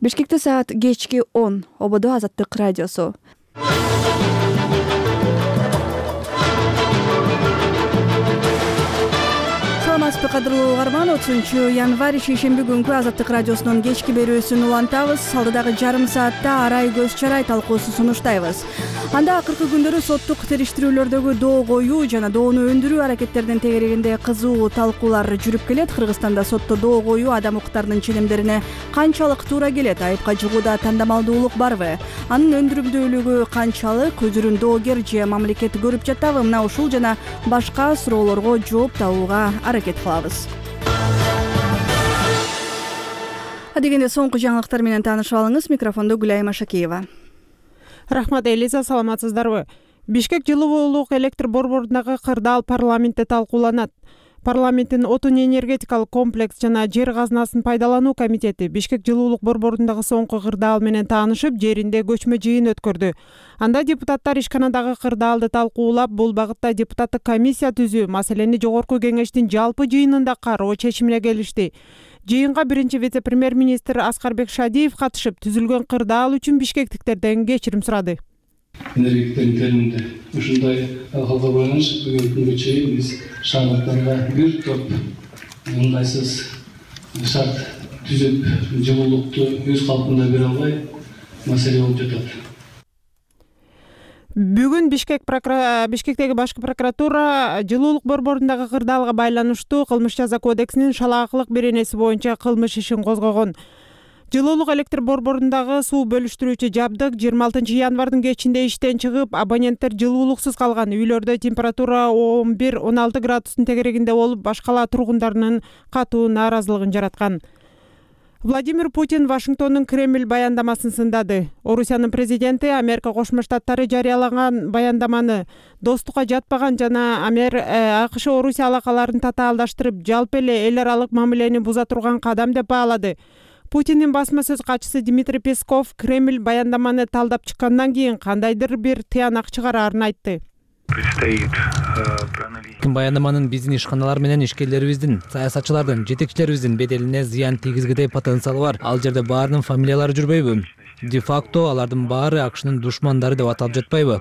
Бишкекте саат кечки 10. Ободо Азаттык радиосу. Саламатсызбы кадырлуу угарман, 30-январь шейшемби күнкү Азаттык радиосунун кечки берүүсүн улантабыз. Алдыдагы жарым саатта арай көз чарай талкуусу сунуштайбыз. Анда акыркы күндөрү соттук териштирүүлөрдөгү доо коюу жана доону өндүрүү аракеттеринин тегерегинде кызуу талкуулар жүрүп келет. Кыргызстанда сотто доо коюу адам укуктарынын ченемдерине канчалык туура келет? Айыпка чыгууда тандамалдуулук барбы? Анын өндүрүмдүүлүгү канчалык? Өзүрүн доогер же мамлекет көрүп жатабы? Мына ушул жана башка суроолорго жооп табууга аракет кылабыз. Адегенде соңку жаңылыктар менен таанышып алыңыз. Микрофондо Гүлайым Ашакиева. Рахмат, Элиза, саламатсыздарбы? Бишкек жылуулук электр борборундагы кырдаал парламентте талкууланат. Парламенттин отун энергетикалык комплекс жана жер казынасын пайдалануу комитети Бишкек жылуулук борборундагы соңку кырдаал менен таанышып, жеринде көчмө жыйын өткөрдү. Анда депутаттар ишканадагы кырдаалды талкуулап, бул багытта депутаттык комиссия түзүү маселени жогорку кеңештин жалпы жыйынында кароо чечимине келишти. Жыйынга биринчи вице-премьер-министр Аскарбек Шадиев катышып, түзүлгөн кырдаал үчүн бишкектиктерден кечирим сурады. Энергетиктердин терминде ушундай акылга байланыш бүгүнкү күнгө чейин биз шаардыктарга бир топ ыңгайсыз шарт түзүп, жылуулукту өз калпында бере албай маселе болуп жатат. Бүгүн Бишкектеги башкы прокуратура жылуулук борборундагы кырдаалга байланыштуу кылмыш жаза кодексинин шалаакылык беренеси боюнча кылмыш ишин козгогон. Жылуулук электр борборундагы суу бөлүштүрүүчү жабдык 26-январдын кечинде иштен чыгып, абоненттер жылуулуксуз калган. Үйлөрдө температура 11-16 градустун тегерегинде болуп, башкала тургундарынын катуу нааразылыгын жараткан. Владимир Путин Вашингтондун Кремль баяндамасын сындады. Орусиянын президенти Америка Кошмо Штаттары жарыялаган баяндаманы достукка жатпаган жана АКШ Орусия алакаларын татаалдаштырып, жалпы эле эл аралык мамилени буза турган кадам деп баалады. Путиндин басма сөз катчысы Дмитрий Песков Кремль баяндаманы талдап чыккандан кийин кандайдыр бир тыянак чыгараарын айтты. Баяндаманын биздин ишканалар менен ишкерлерибиздин, саясатчылардын, жетекчилерибиздин беделине зыян тийгизгидей потенциалы бар. Ал жерде баарынын фамилиялары жүрбөйбү? Де-факто алардын баары АКШнын душмандары деп аталып жатпайбы?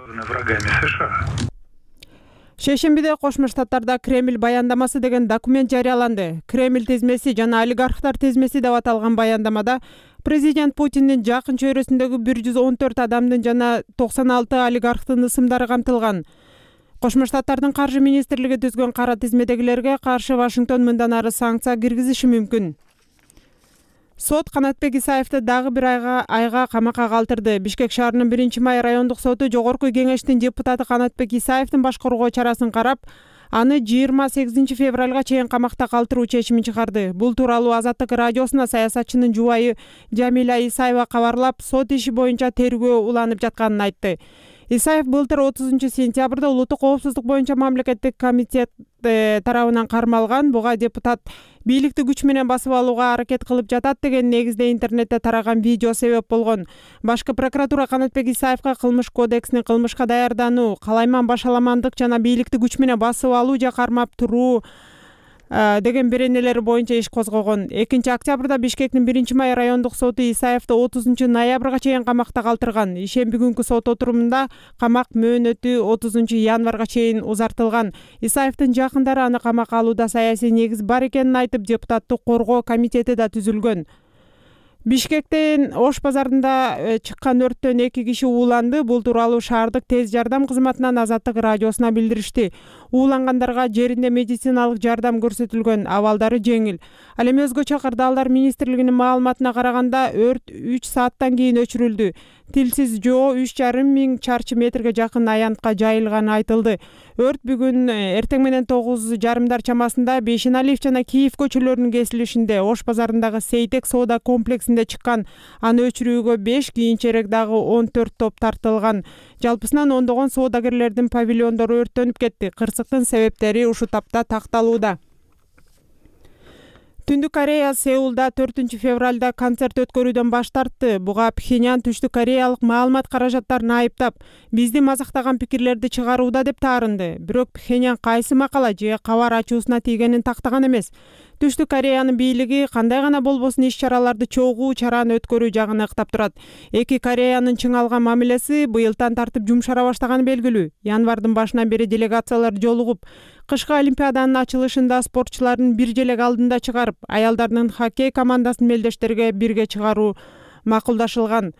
Шейшембиде Кошмо Штаттарда Кремль баяндамасы деген документ жарыяланды. Кремль тизмеси жана олигархтар тизмеси деп аталган баяндамада президент Путиндин жакын чөйрөсүндөгү 114 адамдын жана 96 олигархтын ысымдары камтылган. Кошмо Штаттардын каржы министрлиги түзгөн кара тизмедегилерге каршы Вашингтон мындан ары санкция киргизиши мүмкүн. Сот Канатбек Исаевди дагы бир айга камакка калтырды. Бишкек шаарынын 1-май райондук соту жогорку кеңештин депутаты Канатбек Исаевдин башкаруу чарасын карап, аны 28 февралга чейин камакта калтыруу чечимин чыгарды. Бул тууралуу Азаттык радиосуна саясатчынын жубайы Жамиля Исаева кабарлап, сот иши боюнча тергөө уланып жатканын айтты. Исаев былтыр 30 сентябрда улуттук коопсуздук боюнча мамлекеттик комитет тарабынан кармалган. Буга депутат бийликти күч менен басып алууга аракет кылып жатат деген негизде интернетте тараган видео себеп болгон. Башкы прокуратура Канатбек Исаевга кылмыш кодексинин кылмышка даярдануу, калайман башаламандык жана бийликти күч менен басып алуу же кармап туруу деген беренелери боюнча иш козгогон. 2-октябрда Бишкектин 1-май райондук соту Исаевди 30-ноябрга чейин камакта калтырган. Ишемби күнкү сот отурумунда камак мөөнөтү 30-январга чейин узартылган. Исаевдин жакындары аны камакка алууда саясий негиз бар экенин айтып, депутаттык коргоо комитети да түзүлгөн. Бишкектин Ош базарында чыккан өрттөн 2 киши ууланды. Бул тууралуу шаардык тез жардам кызматынан Азаттык радиосуна билдиришти. Уулангандарга жеринде медициналык жардам көрсөтүлгөн, абалдары жеңил. Ал эми өзгөчө кырдаалдар министрлигинин маалыматына караганда өрт 3 сааттан кийин өчүрүлдү. Тилсиз жоо 3,5 миң чарчы метрге жакын аянтка жайылганы айтылды. Өрт бүгүн эртең менен 9:30 чамасында Бейшеналиев жана Киев көчөлөрүнүн кесилишинде Ош базарындагы Сейтек соода комплексинде чыккан. Аны өчүрүүгө 5, кийинчерээк дагы 14 топ тартылган. Жалпысынан ондогон соодагерлердин павильондору өрттөнүп кетти. Кырсыктын себептери ушул тапта такталууда. Түндүк Корея Сеулда 4 февралда концерт өткөрүүдөн баш тартты. Буга Пхеньян Түштүк Кореялык маалымат каражаттарын айыптап, бизди мазактаган пикирлерди чыгарууда деп таарынды. Бирок Пхеньян кайсы макала же кабар ачуусуна тийгенин тактаган эмес. Түштүк Кореянын бийлиги кандай гана болбосун иш-чараларды чогуу чараны өткөрүү жагын ыктап турат. Эки Кореянын чыңалган мамилеси быйылдан тартып жумшара баштаганы белгилүү. Январдын башынан бери делегациялар жолугуп, кышкы олимпиаданын ачылышында спортчулардын бир желек алдында чыгарып, аялдардын хоккей командасын мелдештерге бирге чыгаруу макулдашылган.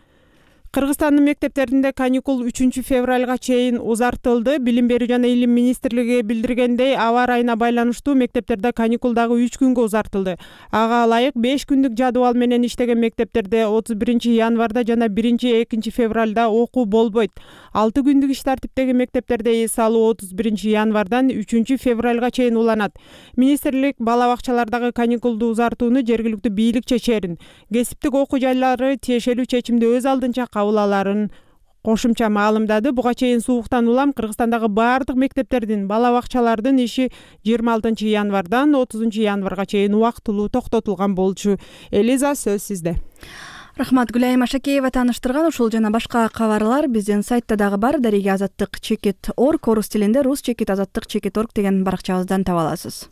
Кыргызстандын мектептеринде каникул 3 февралга чейин узартылды. Билим берүү жана илим министрлиги билдиргендей, аба ырайына байланыштуу мектептерде каникул дагы 3 күнгө узартылды. Ага ылайык 5 күндүк жадыбал менен иштеген мектептерде 31 январда жана 1-2 февралда окуу болбойт. 6 күндүк иш тартиптеги мектептерде эс алуу 31 январдан 3 февралга чейин уланат. Министрлик бала бакчалардагы каникулду узартууну жергиликтүү бийлик чечерин, кесиптик окуу жайлары тиешелүү чечимди өз алдынча кабыл аларын кошумча маалымдады. Буга чейин сууктан улам Кыргызстандагы баардык мектептердин, бала бакчалардын иши 26 январдан 30 январга чейин убактылуу токтотулган болчу. Элиза, сөз сизде. Рахмат, Гүлайым Ашакеева тааныштырган. Ушул жана башка кабарлар биздин сайтта дагы бар. Дарига Азаттык /org, орус тилинде рус /Азаттык /org деген баракчабыздан таба аласыз.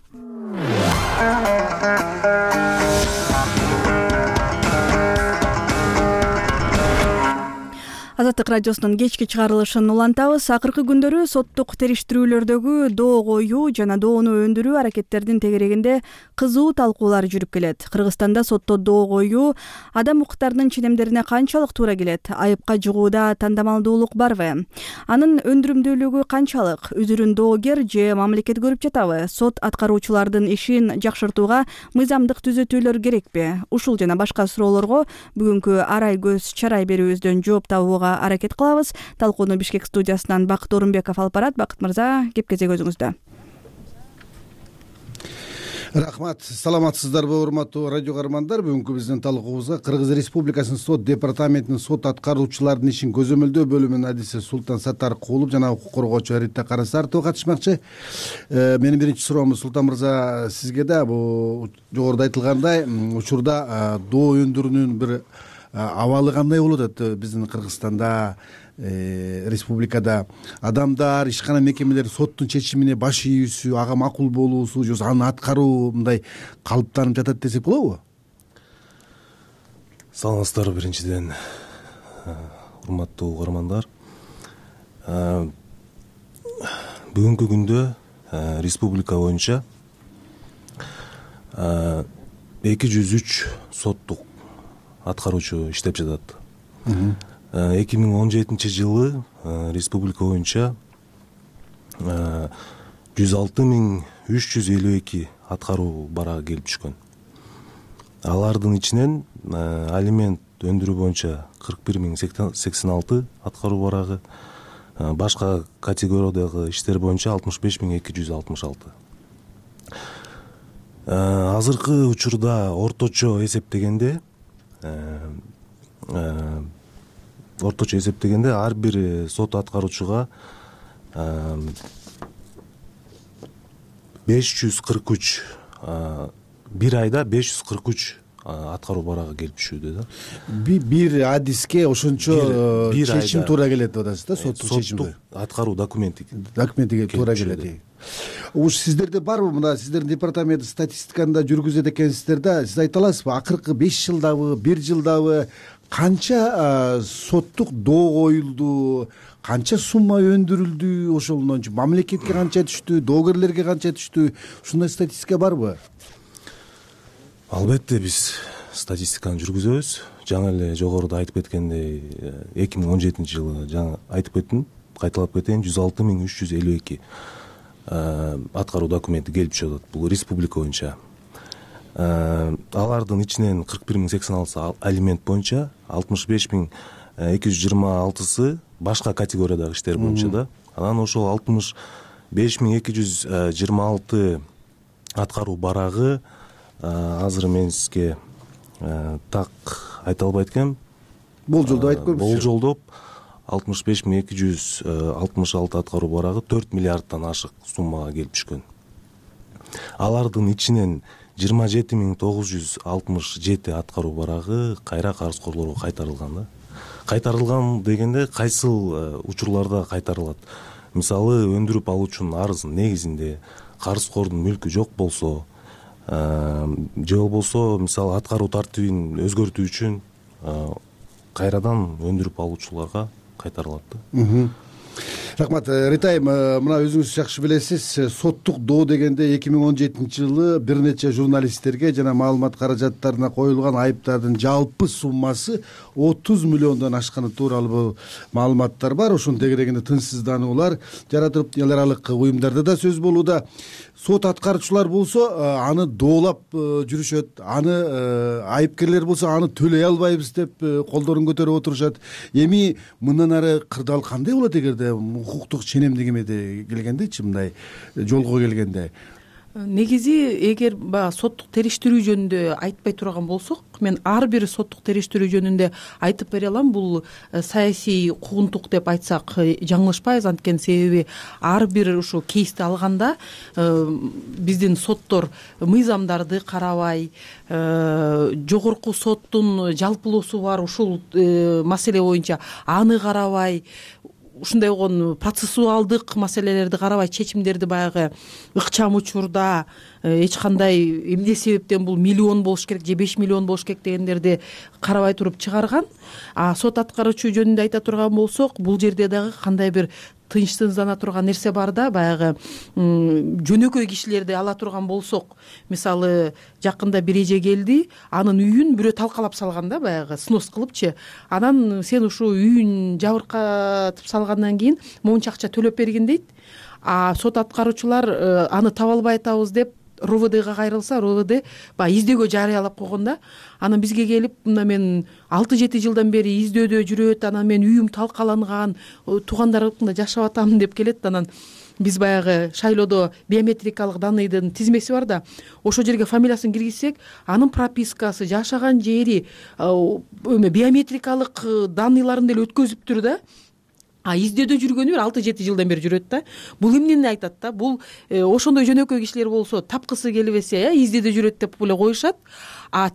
Азаттык радиосунун кечки чыгарылышын улантабыз. Акыркы күндөрү соттук териштирүүлөрдөгү доо коюу жана доону өндүрүү аракеттердин тегерегинде кызуу талкуулар жүрүп келет. Кыргызстанда сотто доо коюу адам укуктарынын ченемдерине канчалык туура келет? Айыпка жыгууда тандамалдуулук барбы? Анын өндүрүмдүүлүгү канчалык? Үзүрүн доогер же мамлекет көрүп жатабы? Сот аткаруучулардын ишин жакшыртууга мыйзамдык түзөтүүлөр керекпи? Ушул жана башка суроолорго бүгүнкү арай көз чарай берүүбүздөн жооп табууга аракет кылабыз. Талкууну Бишкек студиясынан Бакыт Орунбеков алып барат. Бакыт мырза, кеп кезек өзүңүздө. Рахмат. Саламатсыздарбы, урматтуу радио каармандар? Бүгүнкү биздин талкуубузга Кыргыз Республикасынын сот департаментинин сот аткаруучулардын ишин көзөмөлдөө бөлүмүнүн адиси Султан Саттаркулов жана укук коргоочу Рита Карасартова катышмакчы. Менин биринчи суроом, Султан мырза, сизге да бул жогоруда айтылгандай учурда доо өндүрүүнүн бир абалы кандай болуп атат биздин Кыргызстанда, республикада? Адамдар, ишкана мекемелер соттун чечимине баш ийүүсү, ага макул болуусу, же аны аткаруу мындай калыптанып жатат десек болобу? Саламатсыздарбы, биринчиден урматтуу угармандар. Бүгүнкү күндө республика боюнча 203 соттук аткаруучу иштеп жатат. 2017 жылы республика боюнча 106.352 аткаруу барагы келип түшкөн. Алардын ичинен алимент өндүрүү боюнча 41.086 аткаруу барагы, башка категориядагы иштер боюнча 65.266. Азыркы учурда орточо эсептегенде ар бир сот аткаруучуга 543 бир айда 543 аткаруу барагы келип түшүүдө да. Бир адиске ошончо чечим туура келет деп атасыз да, соттук чечим. Аткаруу документиге туура келет. Уш сиздерде барбы, мына сиздердин департамент статистиканы да жүргүзөт экенсиздер да, сиз айта аласызбы, акыркы 5 жылдабы, 1 жылдабы канча соттук доо коюлду, канча сумма өндүрүлдү, ошондон мамлекетке канча түштү, доогерлерге канча түштү, ушундай статистика барбы? Албетте биз статистиканы жүргүзөбүз. Жаңы эле жогоруда айтып кеткендей 2017 жылы жаңы айтып кеттим, кайталап кетейин, 106.352 аткаруу документи келип түшөт бул республика боюнча. Алардын ичинен 41.086 алимент боюнча, 65.226 башка категориядагы иштер боюнча да. Анан ошол 65.226 аткаруу барагы азыр мен сизге так айта албайт экенм. Болжолдоп айтып көрүңүз. Болжолдоп 65.266 аткаруу барагы 4 миллиарддан ашык суммага келип түшкөн. Алардын ичинен 27.967 аткаруу барагы кайра карызкорлорго кайтарылган да. Кайтарылган дегенде кайсыл учурларда кайтарылат? Мисалы, өндүрүп алуучунун арызынын негизинде карызкордун мүлкү жок болсо, же болбосо мисалы аткаруу тартибин өзгөртүү үчүн кайрадан өндүрүп алуучуларга кайтарылат да. Рахмат. Ритайым, мына өзүңүз жакшы билесиз, соттук доо дегенде 2017-жылы бир нече журналисттерге жана маалымат каражаттарына коюлган айыптардын жалпы суммасы 30 миллиондон ашканы тууралуу маалыматтар бар. Ошонун тегерегинде тынчсыздануулар жаратылып, эл аралык уюмдарда да сөз болууда. Сот аткаруучулар болсо аны доолап жүрүшөт, аны айыпкерлер болсо аны төлөй албайбыз деп колдорун көтөрүп отурушат. Эми мындан ары кырдаал кандай болот эгерде укуктук ченемдигимеде келгендечи, мындай жолго келгенде? Негизи эгер баягы соттук териштирүү жөнүндө айтпай турган болсок, мен ар бир соттук териштирүү жөнүндө айтып бере алам. Бул саясий куугунтук деп айтсак жаңылышпайбыз, анткени себеби ар бир ушу кейсти алганда биздин соттор мыйзамдарды карабай, жогорку соттун жалпылоосу бар ушул маселе боюнча аны карабай, ушундай болгон процессуалдык маселелерди карабай, чечимдерди баягы ыкчам учурда эч кандай эмне себептен бул миллион болуш керек же 5 миллион болуш керек дегендерди карабай туруп чыгарган. Сот аткаруучу жөнүндө айта турган болсок, бул жерде дагы кандай бир тынчсыздана турган нерсе бар да. Баягы жөнөкөй кишилерди ала турган болсок, мисалы жакында бир эже келди, анын үйүн бирөө талкалап салган да, баягы снос кылыпчы. Анан сен ушу үйүн жабыркатып салгандан кийин монча акча төлөп бергин дейт. Сот аткаруучулар аны таба албай атабыз деп РОВДга кайрылса, РОВД баягы издөөгө жарыялап койгон да. Анан бизге келип, мына мен 6-7 жылдан бери издөөдө жүрөт, анан мен үйүм талкаланган, туугандарымда жашап атам деп келет. Анан биз баягы шайлоодо биометрикалык данныйдын тизмеси бар да, ошол жерге фамилиясын киргизсек, анын пропискасы, жашаган жери, биометрикалык данныйларын деле өткөзүптүр да. Издөөдө жүргөнү 6-7 жылдан бери жүрөт да. Бул эмнени айтат да? Бул ошондой жөнөкөй кишилер болсо, тапкысы келбесе, издөөдө жүрөт деп эле коюшат.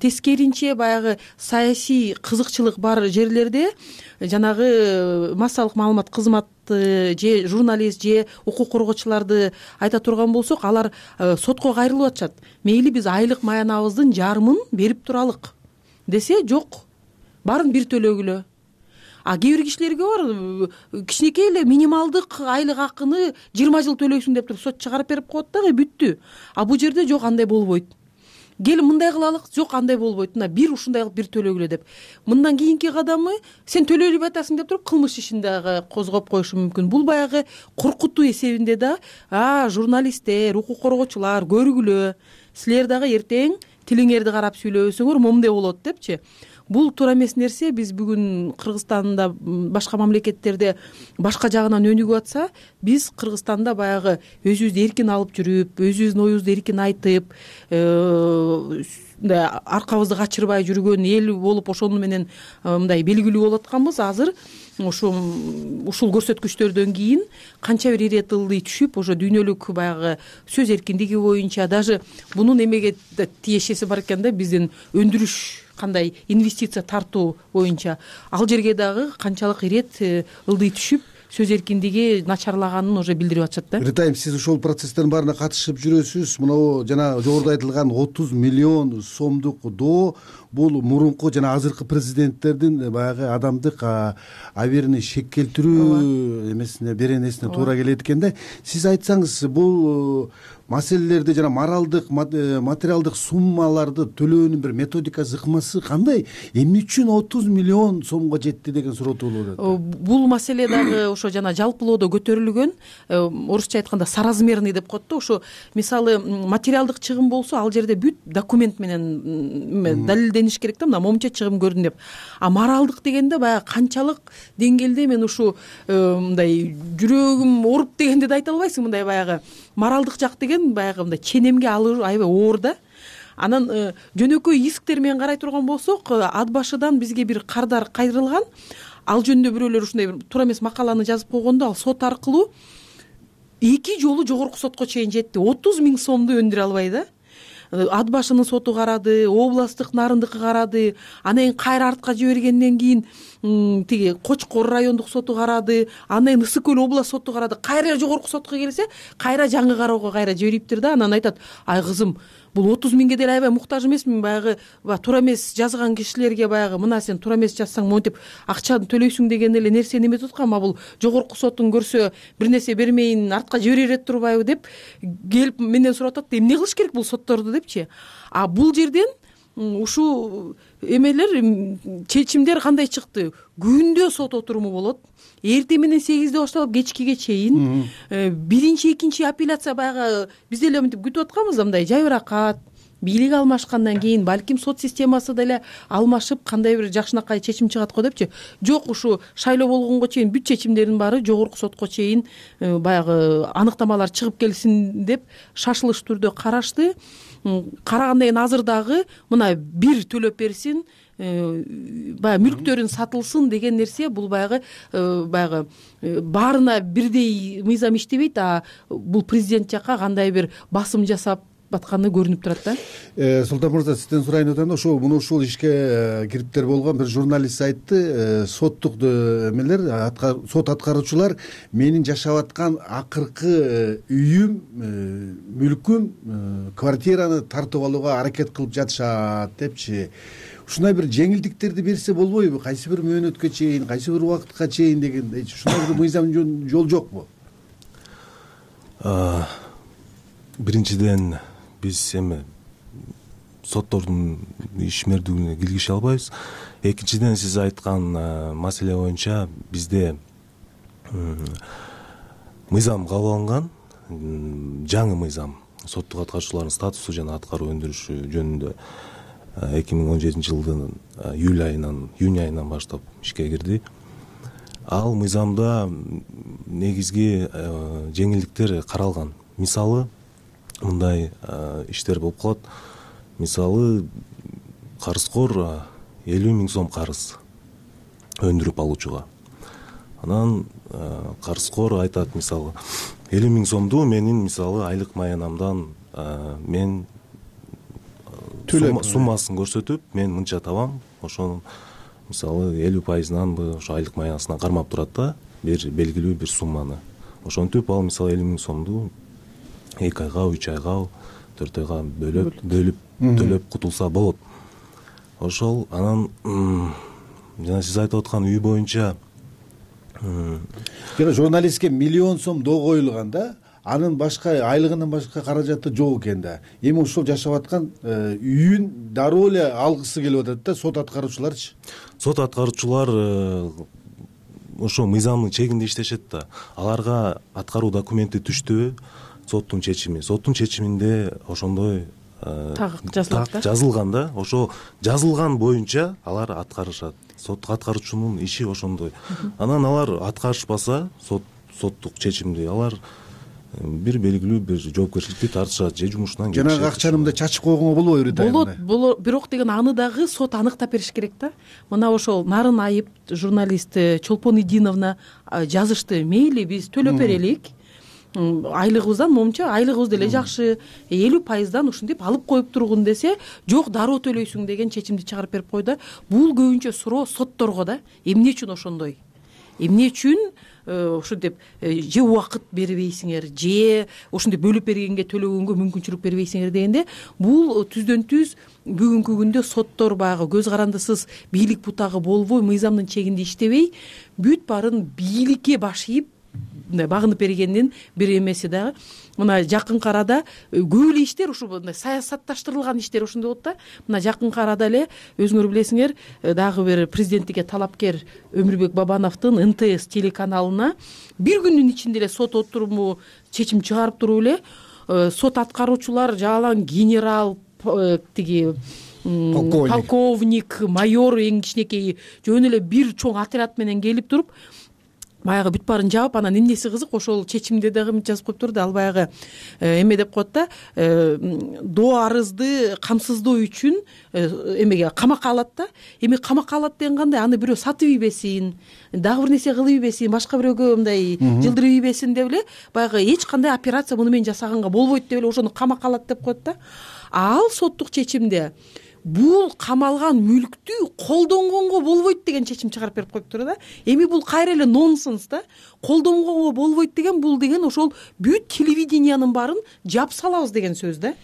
Тескеринче баягы саясий кызыкчылык бар жерлерде жанагы массалык маалымат кызматы же журналист же укук коргоочуларды айта турган болсок, алар сотко кайрылып атышат. Мейли биз айлык маянабыздын жарымын берип туралык десе, жок, баарын бир төлөгүлө. Кээ бир кишилерге бар, кичинекей эле минималдык айлык акыны 20 жыл төлөйсүң деп туруп сот чыгарып берип коет дагы, бүттү. Бул жерде жок, андай болбойт. Кел мындай кылалык, жок, андай болбойт. Мына бир ушундай кылып бир төлөгүлө деп. Мындан кийинки кадамы сен төлөй атасың деп туруп кылмыш ишин дагы козгоп коюшу мүмкүн. Бул баягы коркутуу эсебинде да. Журналисттер, укук коргоочулар көргүлө, силер дагы эртең тилиңерди карап сүйлөбөсөңөр момундай болот депчи. Бул туура эмес нерсе. Биз бүгүн Кыргызстанда, башка мамлекеттерде башка жагынан өнүгүп атса, биз Кыргызстанда баягы өзүбүздү эркин алып жүрүп, өзүбүздүн оюбузду эркин айтып, аркабызды качырбай жүргөн эл болуп, ошону менен мындай белгилүү болуп атканбыз. Азыр ушул көрсөткүчтөрдөн кийин канча бир ирет ылдый түшүп, ошо дүйнөлүк баягы сөз эркиндиги боюнча, даже бунун эмеге тиешеси бар экен да, биздин өндүрүш кандай инвестиция тартуу боюнча, ал жерге дагы канчалык ирет ылдый түшүп, сөз эркиндиги начарлаганын уже билдирип атышат да. Ритайым, сиз ошол процесстердин баарына катышып жүрөсүз. Мына жана жогоруда айтылган 30 миллион сомдук доо, бул мурунку жана азыркы президенттердин баягы адамдык абийиrini шек келтирүү эмесине, беренесине туура келет экен да. Сиз айтсаңыз, бул маселелерди жана моралдык, материалдык суммаларды төлөөнүн бир методикасы, ыкмасы кандай? Эмне үчүн 30 миллион сомго жетти деген суроо туулуп атат. Бул маселе дагы ошо жана жалпылоодо көтөрүлгөн, орусча айтканда соразмерный деп коет да. Ошо мисалы материалдык чыгым болсо, ал жерде бүт документ менен далилдениш керек да, мына момунча чыгым көрдүм деп. Моралдык дегенде баягы канчалык деңгээлде, мен ушу мындай жүрөгүм ооруп дегенди да айта албайсың. Мындай баягы моралдык жак деген баягы мындай ченемге алуу аябай оор да. Анан жөнөкөй исктер менен карай турган болсок, ат башыдан бизге бир кардар кайрылган. Ал жөнүндө бирөөлөр ушундай бир туура эмес макаланы жазып койгондо, ал сот аркылуу 2 жолу жогорку сотко чейин жетти. 30 000 сомду өндүрө албай да. Ат башынын соту карады, областтык нарындыкы карады, анан кийин кайра артка жибергенден кийин тиги Кочкор райондук соту карады, анан кийин Ысык көл область соту карады. Кайра жогорку сотко келсе, кайра жаңы кароого кайра жибериптир да. Анан айтат: "Ай кызым, бул 30 миңге деле аябай муктаж эмесмин, баягы туура эмес жазган кишилерге баягы мына сен туура эмес жазсаң монтип акчаны төлөйсүң деген эле нерсени эметип аткам. А бул жогорку соттун көрсө бир нерсе бермейин артка жибере турбайбы деп келип менден сурап атат, эмне кылыш керек бул сотторду депчи. А бул жерден ушул эмелер чечимдер кандай чыкты? Күндө сот отуруму болот. Эртең менен 8-де башталып кечкиге чейин. Биринчи, экинчи апелляция баягы биз деле мынтип күтүп атканбыз, мындай жайбыракат, бийлик алмашкандан кийин балким сот системасы деле алмашып кандай бир жакшынакай чечим чыгат го депчи. Жок, ушу шайлоо болгонго чейин бүт чечимдердин баары жогорку сотко чейин баягы аныктамалар чыгып келсин деп шашылыш түрдө карашты. Карагандан кийин азыр дагы мына бир төлөп берсин, баягы мүлктөрүн сатылсын деген нерсе, бул баягы баарына бирдей мыйзам иштебейт, а бул президент жакка кандай бир басым жасап атканы көрүнүп турат да. Султан мырза, сизден сурайын атам да, ушул ишке кириптер болгон бир журналист айтты, соттук эмелер, сот аткаруучулар менин жашап аткан акыркы үйүм, мүлкүм, квартираны тартып алууга аракет кылып жатышат депчи. Ушундай бир жеңилдиктерди берсе болбойбу? Кайсы бир мөөнөткө чейин, кайсы бир убакытка чейин дегендей. Ушундай бир мыйзам жол жокпу? Биринчиден биз эми соттордун ишмердүүлүгүнө киргише албайбыз. Экинчиден, сиз айткан маселе боюнча бизде мыйзам кабыл алынган, жаңы мыйзам соттук аткаруучулардын статусу жана аткаруу өндүрүшү жөнүндө 2017 жылдын июнь айынан баштап ишке кирди. Ал мыйзамда негизги жеңилдиктер каралган. Мисалы, мындай иштер болуп калат. Мисалы, карызкор 50 миң сом карыз өндүрүп алуучуга. Анан карызкор айтат, мисалы, 50 миң сомду менин мисалы айлык маянамдан мен суммасын көрсөтүп, мен мынча табам, ошонун мисалы 50%нанбы ошо айлык маянасынан кармап турат да, бир белгилүү бир сумманы. Ошентип ал мисалы 50 миң сомду 2 айга, 3 айга, 4 айга бөлүп төлөп кутулса болот. Ошол анан жана сиз айтып аткан үй боюнча жана журналистке миллион сом доо коюлган да, анын башка айлыгынын башка каражаты жок экен да. Эми ошол жашап аткан үйүн дароо эле алгысы келип атат да, сот аткаруучуларчы. Сот аткаруучулар ошо мыйзамдын чегинде иштешет да. Аларга аткаруу документи түштүбү, соттун чечиминде ошондой так жазылган да. Ошо жазылган боюнча алар аткарышат. Соттук аткаруучунун иши ошондой. Анан алар аткарышпаса соттук чечимди, алар бир белгилүү бир жоопкерчиликти тартышат же жумушунан кетишет. Жанагы акчаны мындай чачып койгонго болбойбу? Болот, бирок деген аны дагы сот аныктап бериш керек да. Мына ошол Нарын Айып журналист Чолпон Идиновна жазышты. Мейли биз төлөп берелик. Айлыгыбыздан момча, айлыгыбыз деле жакшы, 50%дан ушинтип алып коюп тургун десе, жок, дароо төлөйсүң деген чечимди чыгарып берип койду. Бул көбүнчө суроо сотторго да. Эмне үчүн ошондой? Эмне үчүн ушинтип же убакыт бербейсиңер, же ушинтип бөлүп бергенге төлөгөнгө мүмкүнчүлүк бербейсиңер дегенде, бул түздөн түз бүгүнкү күндө соттор баягы көз карандысыз бийлик бутагы болбой, мыйзамдын чегинде иштебей, бүт баарын бийликке баш ийип багынып бергендин бир эмеси дагы. Мына жакынкы арада көп эле иштер ушу мындай саясатташтырылган иштер ошондой болот да. Мына жакынкы арада эле өзүңөр билесиңер, дагы бир президенттикке талапкер Өмүрбек Бабановдун НТС телеканалына бир күндүн ичинде эле сот отуруму чечим чыгарып туруп эле сот аткаруучулар жаалан генерал, тиги полковник, майор, эң кичинекей жөн эле бир чоң отряд менен келип туруп баягы бүт баарын жаап, анан эмнеси кызык, ошол чечимде дагы жазып коюп турду. Ал баягы эме деп коет да, доо арызды камсыздоо үчүн эмеге камакка алат да. Эми камакка алат деген кандай? Аны бирөө сатып ийбесин, дагы бир нерсе кылып ийбесин, башка бирөөгө мындай жылдырып ийбесин деп эле баягы эч кандай операция муну менен жасаганга болбойт деп эле ошону камакка алат деп коет да. Ал соттук чечимде бул камалган мүлктү колдонгонго болбойт деген чечим чыгарып берип коюптур да. Эми бул кайра эле нонсенс да. Колдонгонго болбойт деген бул деген ошол бүт телевидениянын баарын жап салабыз деген сөз да.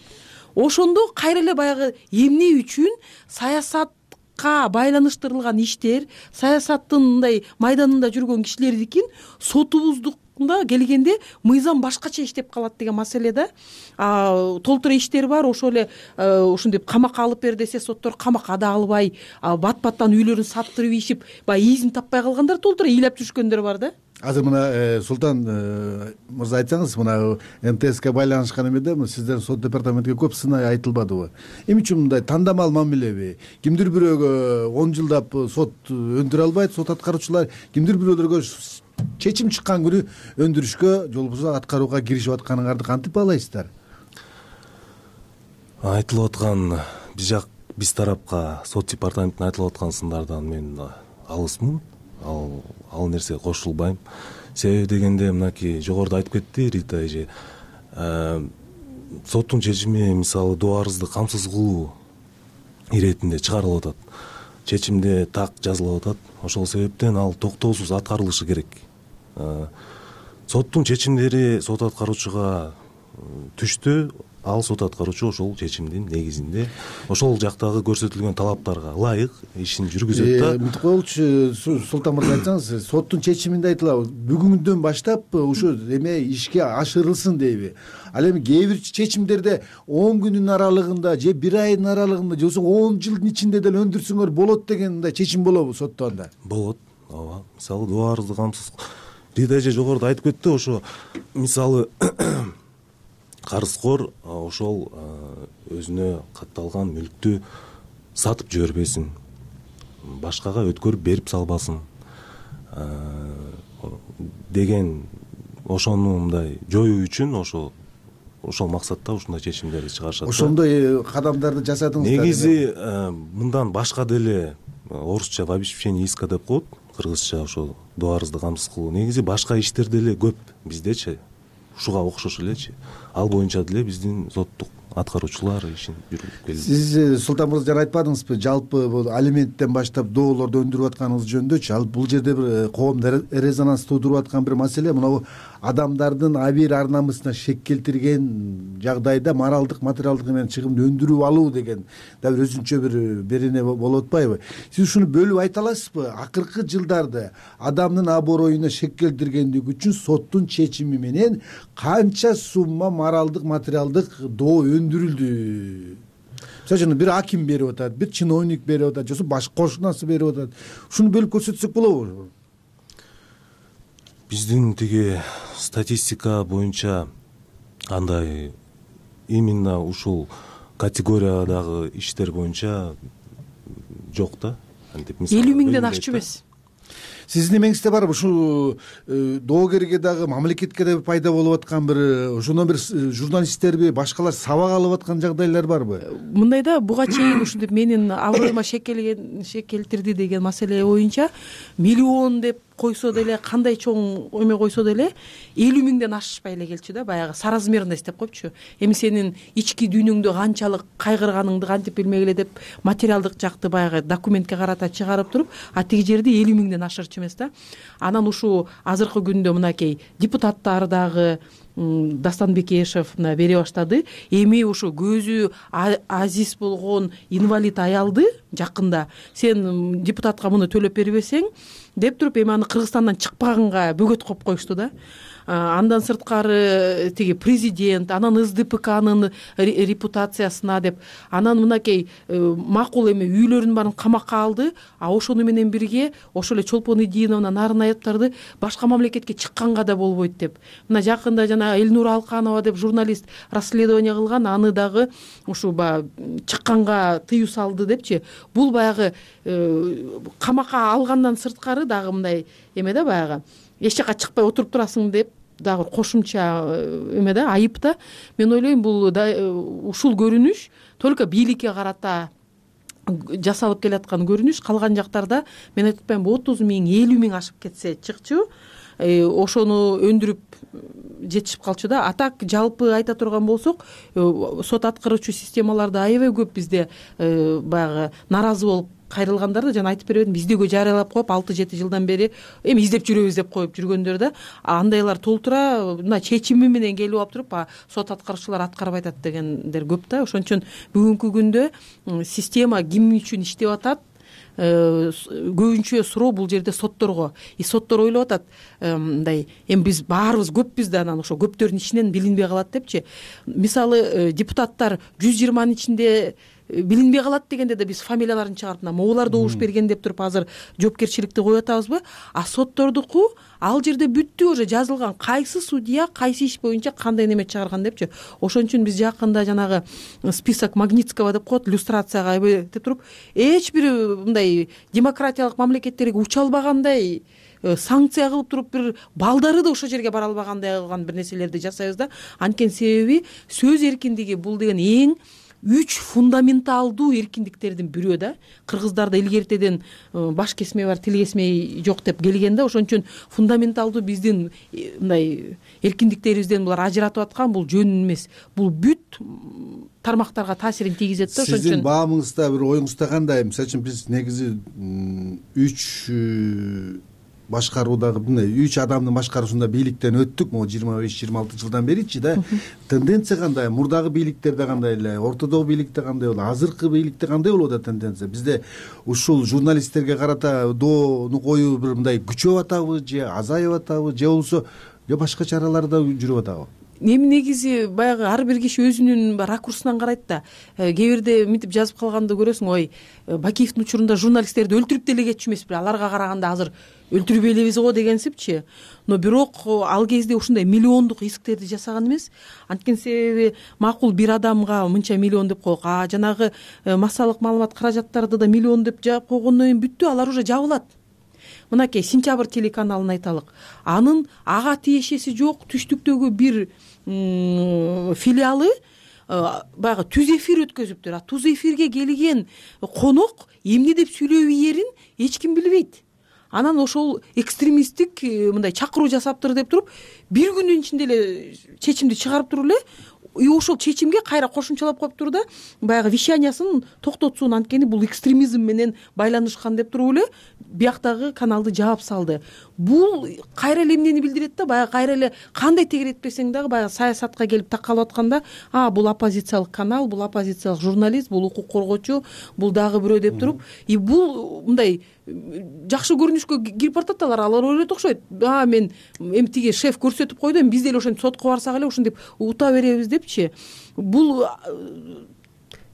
ошондо кайра эле баягы эмне үчүн саясатка байланыштырылган иштер, саясаттын мындай майданында жүргөн кишилердикин сотубуздукта келгенде мыйзам башкача иштеп калат деген маселе да. Толтура иштер бар, ошол эле ушинтип камакка алып бер десе соттор камакка да албай, бат-баттан үйлөрүн саттырып ийишип, баягы изин таппай калгандар толтура ыйлап жүрүшкөндөр бар да. Азыр мына Султан мырза айтсаңыз, мына МТСке байланышкан эмеде сиздердин сот департаментке көп сынай айтылбадыбы? Эмне үчүн мындай тандамал мамилеби? Кимдир бирөөгө 10 жылдап сот өндүрө албайт сот аткаруучулар, кимдир бирөөлөргө чечим чыккан күнү өндүрүшкө же болбосо аткарууга киришип атканыңарды кантип баалайсыздар? Айтылып аткан биз тарапка сот департаментине айтылып аткан сындардан мен алысмын. Ал нерсе кошулбайм. Себеби дегенде мынакей жогоруда айтып кетти Рита эже. Соттун чечими мисалы дубарызды камсыз кылуу иретинде чыгарылып атат. Чечимде так жазылып атат. Ошол себептен ал токтоосуз аткарылышы керек. Соттун чечимдери сот аткаруучуга түштү. Ал сот аткаруучу ошол чечимдин негизинде ошол жактагы көрсөтүлгөн талаптарга ылайык ишин жүргүзөт да. Мынтип коелучу, Султан мырза айтсаңыз, соттун чечиминде айтылат, бүгүндөн баштап ушу эме ишке ашырылсын дейби. Ал эми кээ бир чечимдерде 10 күнүн аралыгында же 1 айдын аралыгында же болбосо 10 жылдын ичинде деле өндүрсөңөр болот деген мындай чечим болобу сотто анда? Болот. Ооба. Мисалы дубарызды камсыз Рита эже жогоруда айтып кетти, ошо мисалы карызкор ошол өзүнө катталган мүлктү сатып жибербесин, башкага өткөрүп берип салбасын деген ошону мындай жоюу үчүн ошол максатта ушундай чечимдерди чыгарышат. Ошондой кадамдарды жасадыңыздар. Негизи мындан башка деле орусча в обеспечении иска деп коет, кыргызча ошол дубарызды камсыз кылуу. Негизи башка иштер деле көп биздечи. Ушуга окшош элечи. Ал боюнча деле биздин соттук аткаруучулар ишин жүргүзүп келди. Сиз Султан мырза жана айтпадыңызбы, жалпы бул алименттен баштап доолорду өндүрүп атканыңыз жөнүндөчү? Ал бул жерде бир коомдо резонанс туудуруп аткан бир маселе, мына адамдардын абийир ар намысына шек келтирген жагдайда моралдык, материалдык менен чыгымды өндүрүп алуу деген да бир өзүнчө бир берене болуп атпайбы? Сиз ушуну бөлүп айта аласызбы? Акыркы жылдарда адамдын аброюна шек келтиргендик үчүн соттун чечими менен канча сумма моралдык, материалдык доо өндүрүлдү? Мисалы үчүн бир аким берип атат, бир чиновник берип атат, же башка кошунасы берип атат. Ушуну бөлүп көрсөтсөк болобу? Биздин тиги статистика боюнча андай именно ушул категориядагы иштер боюнча жок да. 50 миңден ашчу эмес. Сиздин эмеңизде барбы ушул доогерге дагы мамлекетке да пайда болуп аткан бир ошондон бир журналисттерби башкалар сабак алып аткан жагдайлар барбы? Мындай да, буга чейин ушинтип менин аброюма шек келтирди деген маселе боюнча миллион деп койсо деле, кандай чоң эме койсо деле 50 миңден ашпай эле келчү да, баягы соразмерно эстеп коюпчу. Эми сенин ички дүйнөңдө канчалык кайгырганыңды кантип билмегиле деп материалдык жакты баягы документке карата чыгарып туруп, тиги жерде 50 миңден ашырчу эмес да. Анан ушу азыркы күндө мынакей депутаттар дагы Дастан Бекешев бере баштады. Эми ушу көзү азиз болгон инвалид аялды жакында сен депутатка муну төлөп бербесең деп туруп, эми аны Кыргызстандан чыкпаганга бөгөт коюп коюшту да. Андан сырткары тиги президент, анан СДПКнын репутациясына деп, анан мынакей макул эми үйлөрүнүн баарын камакка алды, ошону менен бирге ошол эле Чолпон Идиновна, Нарын Аяптарды башка мамлекетке чыкканга да болбойт деп. Мына жакында жана Элнур Алканова деп журналист расследование кылган, аны дагы ушу чыкканга тыюу салды депчи. Бул баягы камакка алгандан сырткары дагы мындай эме да, баягы эч жака чыкпай отуруп турасың деп дагы кошумча эме да, айып да. Мен ойлойм, бул ушул көрүнүш только бийликке карата жасалып келаткан көрүнүш. Калган жактарда мен айтып атпаймынбы 30 миң, 50 миң ашып кетсе чыкчу, ошону өндүрүп жетишип калчу да. Так жалпы айта турган болсок, сот аткаруучу системаларда аябай көп бизде баягы нааразы болуп кайрылгандар да жана айтып беребедим, биздегө жарыялап коюп 6-7 жылдан бери эми издеп жүрөбүз деп коюп жүргөндөр да андайлар толтура мына чечими менен келип алып туруп сот аткаруучулар аткарбай атат дегендер көп да. Ошон үчүн бүгүнкү күндө система ким үчүн иштеп атат, көбүнчө суроо бул жерде сотторго. Соттор ойлоп атат мындай, эми биз баарыбыз көппүз да, анан ошо көптөрдүн ичинен билинбей калат депчи. Мисалы депутаттар 120-нын ичинде билинбей калат дегенде да биз фамилияларын чыгарып могулар добуш берген деп туруп азыр жоопкерчиликти коюп атабызбы? Соттордуку ал жерде бүттү, уже жазылган кайсы судья кайсы иш боюнча кандай неме чыгарган депчи. Ошон үчүн биз жакында жанагы список Магнитского деп коет, люстрацияга деп туруп эч бир мындай демократиялык мамлекеттерге уча албагандай санкция кылып туруп бир балдары да ошол жерге бара албагандай кылган бир нерселерди жасайбыз да. Анткени себеби сөз эркиндиги бул деген эң 3 фундаменталдуу эркиндиктердин бирөө да. Кыргыздарда илгертеден баш кесмей бар, тил кесмей жок деп келген да. Ошон үчүн фундаменталдуу биздин мындай эркиндиктерибизден булар ажыратып аткан бул жөн эмес. Бул бүт тармактарга таасирин тийгизет да. Ошон үчүн сиздин баамыңызда бир оюңузда кандай? Мисалы үчүн биз негизи 3 башкаруудагы мындай 3 адамдын башкаруусунда бийликтен өттүк, могу 25-26 жылдан беричи да. Тенденция кандай? Мурдагы бийликтерде кандай эле, ортодогу бийликте кандай болду, азыркы бийликте кандай болуп атат тенденция? Бизде ушул журналисттерге карата доону коюу бир мындай күчөп атабы, же азайып атабы, же болбосо башка чаралар да жүрүп атабы? Эми негизи баягы ар бир киши өзүнүн ракурсунан карайт да. Кээ бирде мынтип жазып калганды көрөсүң, ой, Бакиевдин учурунда журналисттерди өлтүрүп деле кетчү эмеспи, аларга караганда азыр өлтүрбөй элебиз го дегенсипчи. Но бирок ал кезде ушундай миллиондук исктерди жасаган эмес. Анткени себеби макул бир адамга мынча миллион деп коек, жанагы массалык маалымат каражаттарды да миллион деп жаап койгондон кийин бүттү, алар уже жабылат. Мынакей Сентябрь телеканалын айталык. Анын ага тиешеси жок түштүктөгү бир филиалы баягы түз эфир өткөзүптүр. Түз эфирге келген конок эмне деп сүйлөп ийерин эч ким билбейт. Анан ошол экстремисттик мындай чакыруу жасаптыр деп туруп, бир күндүн ичинде эле чечимди чыгарып туруп эле ошол чечимге кайра кошумчалап коюптур да, баягы вещаниясын токтотсун, анткени бул экстремизм менен байланышкан деп туруп эле бияктагы каналды жаап салды. Бул кайра эле эмнени билдирет да, баягы кайра эле кандай тегеретпесең дагы баягы саясатка келип такалып атканда, бул оппозициялык канал, бул оппозициялык журналист, бул укук коргоочу, бул дагы бирөө деп туруп, бул мындай жакшы көрүнүшкө кирип баратат алар ойлойт окшойт. Мен эми тиги шеф көрсөтүп койду, эми биз деле ошентип сотко барсак эле ушинтип ута беребиз депчи. Бул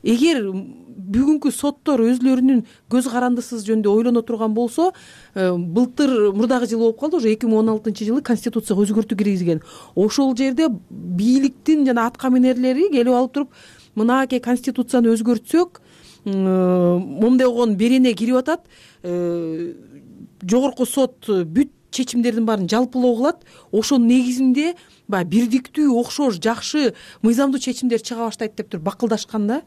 эгер бүгүнкү соттор өзүлөрүнүн көз карандысыз жөнүндө ойлоно турган болсо, былтыр мурдагы жылы болуп калды, уже 2016-жылы конституцияга өзгөртүү киргизген. Ошол жерде бийликтин жана атка минерлери келип алып туруп, мынакей конституцияны өзгөртсөк, момундай болгон берене кирип атат, жогорку сот бүт чечимдердин баарын жалпылоо кылат. Ошонун негизинде баягы бирдиктүү, окшош, жакшы, мыйзамдуу чечимдер чыга баштайт деп туруп бакылдашкан да.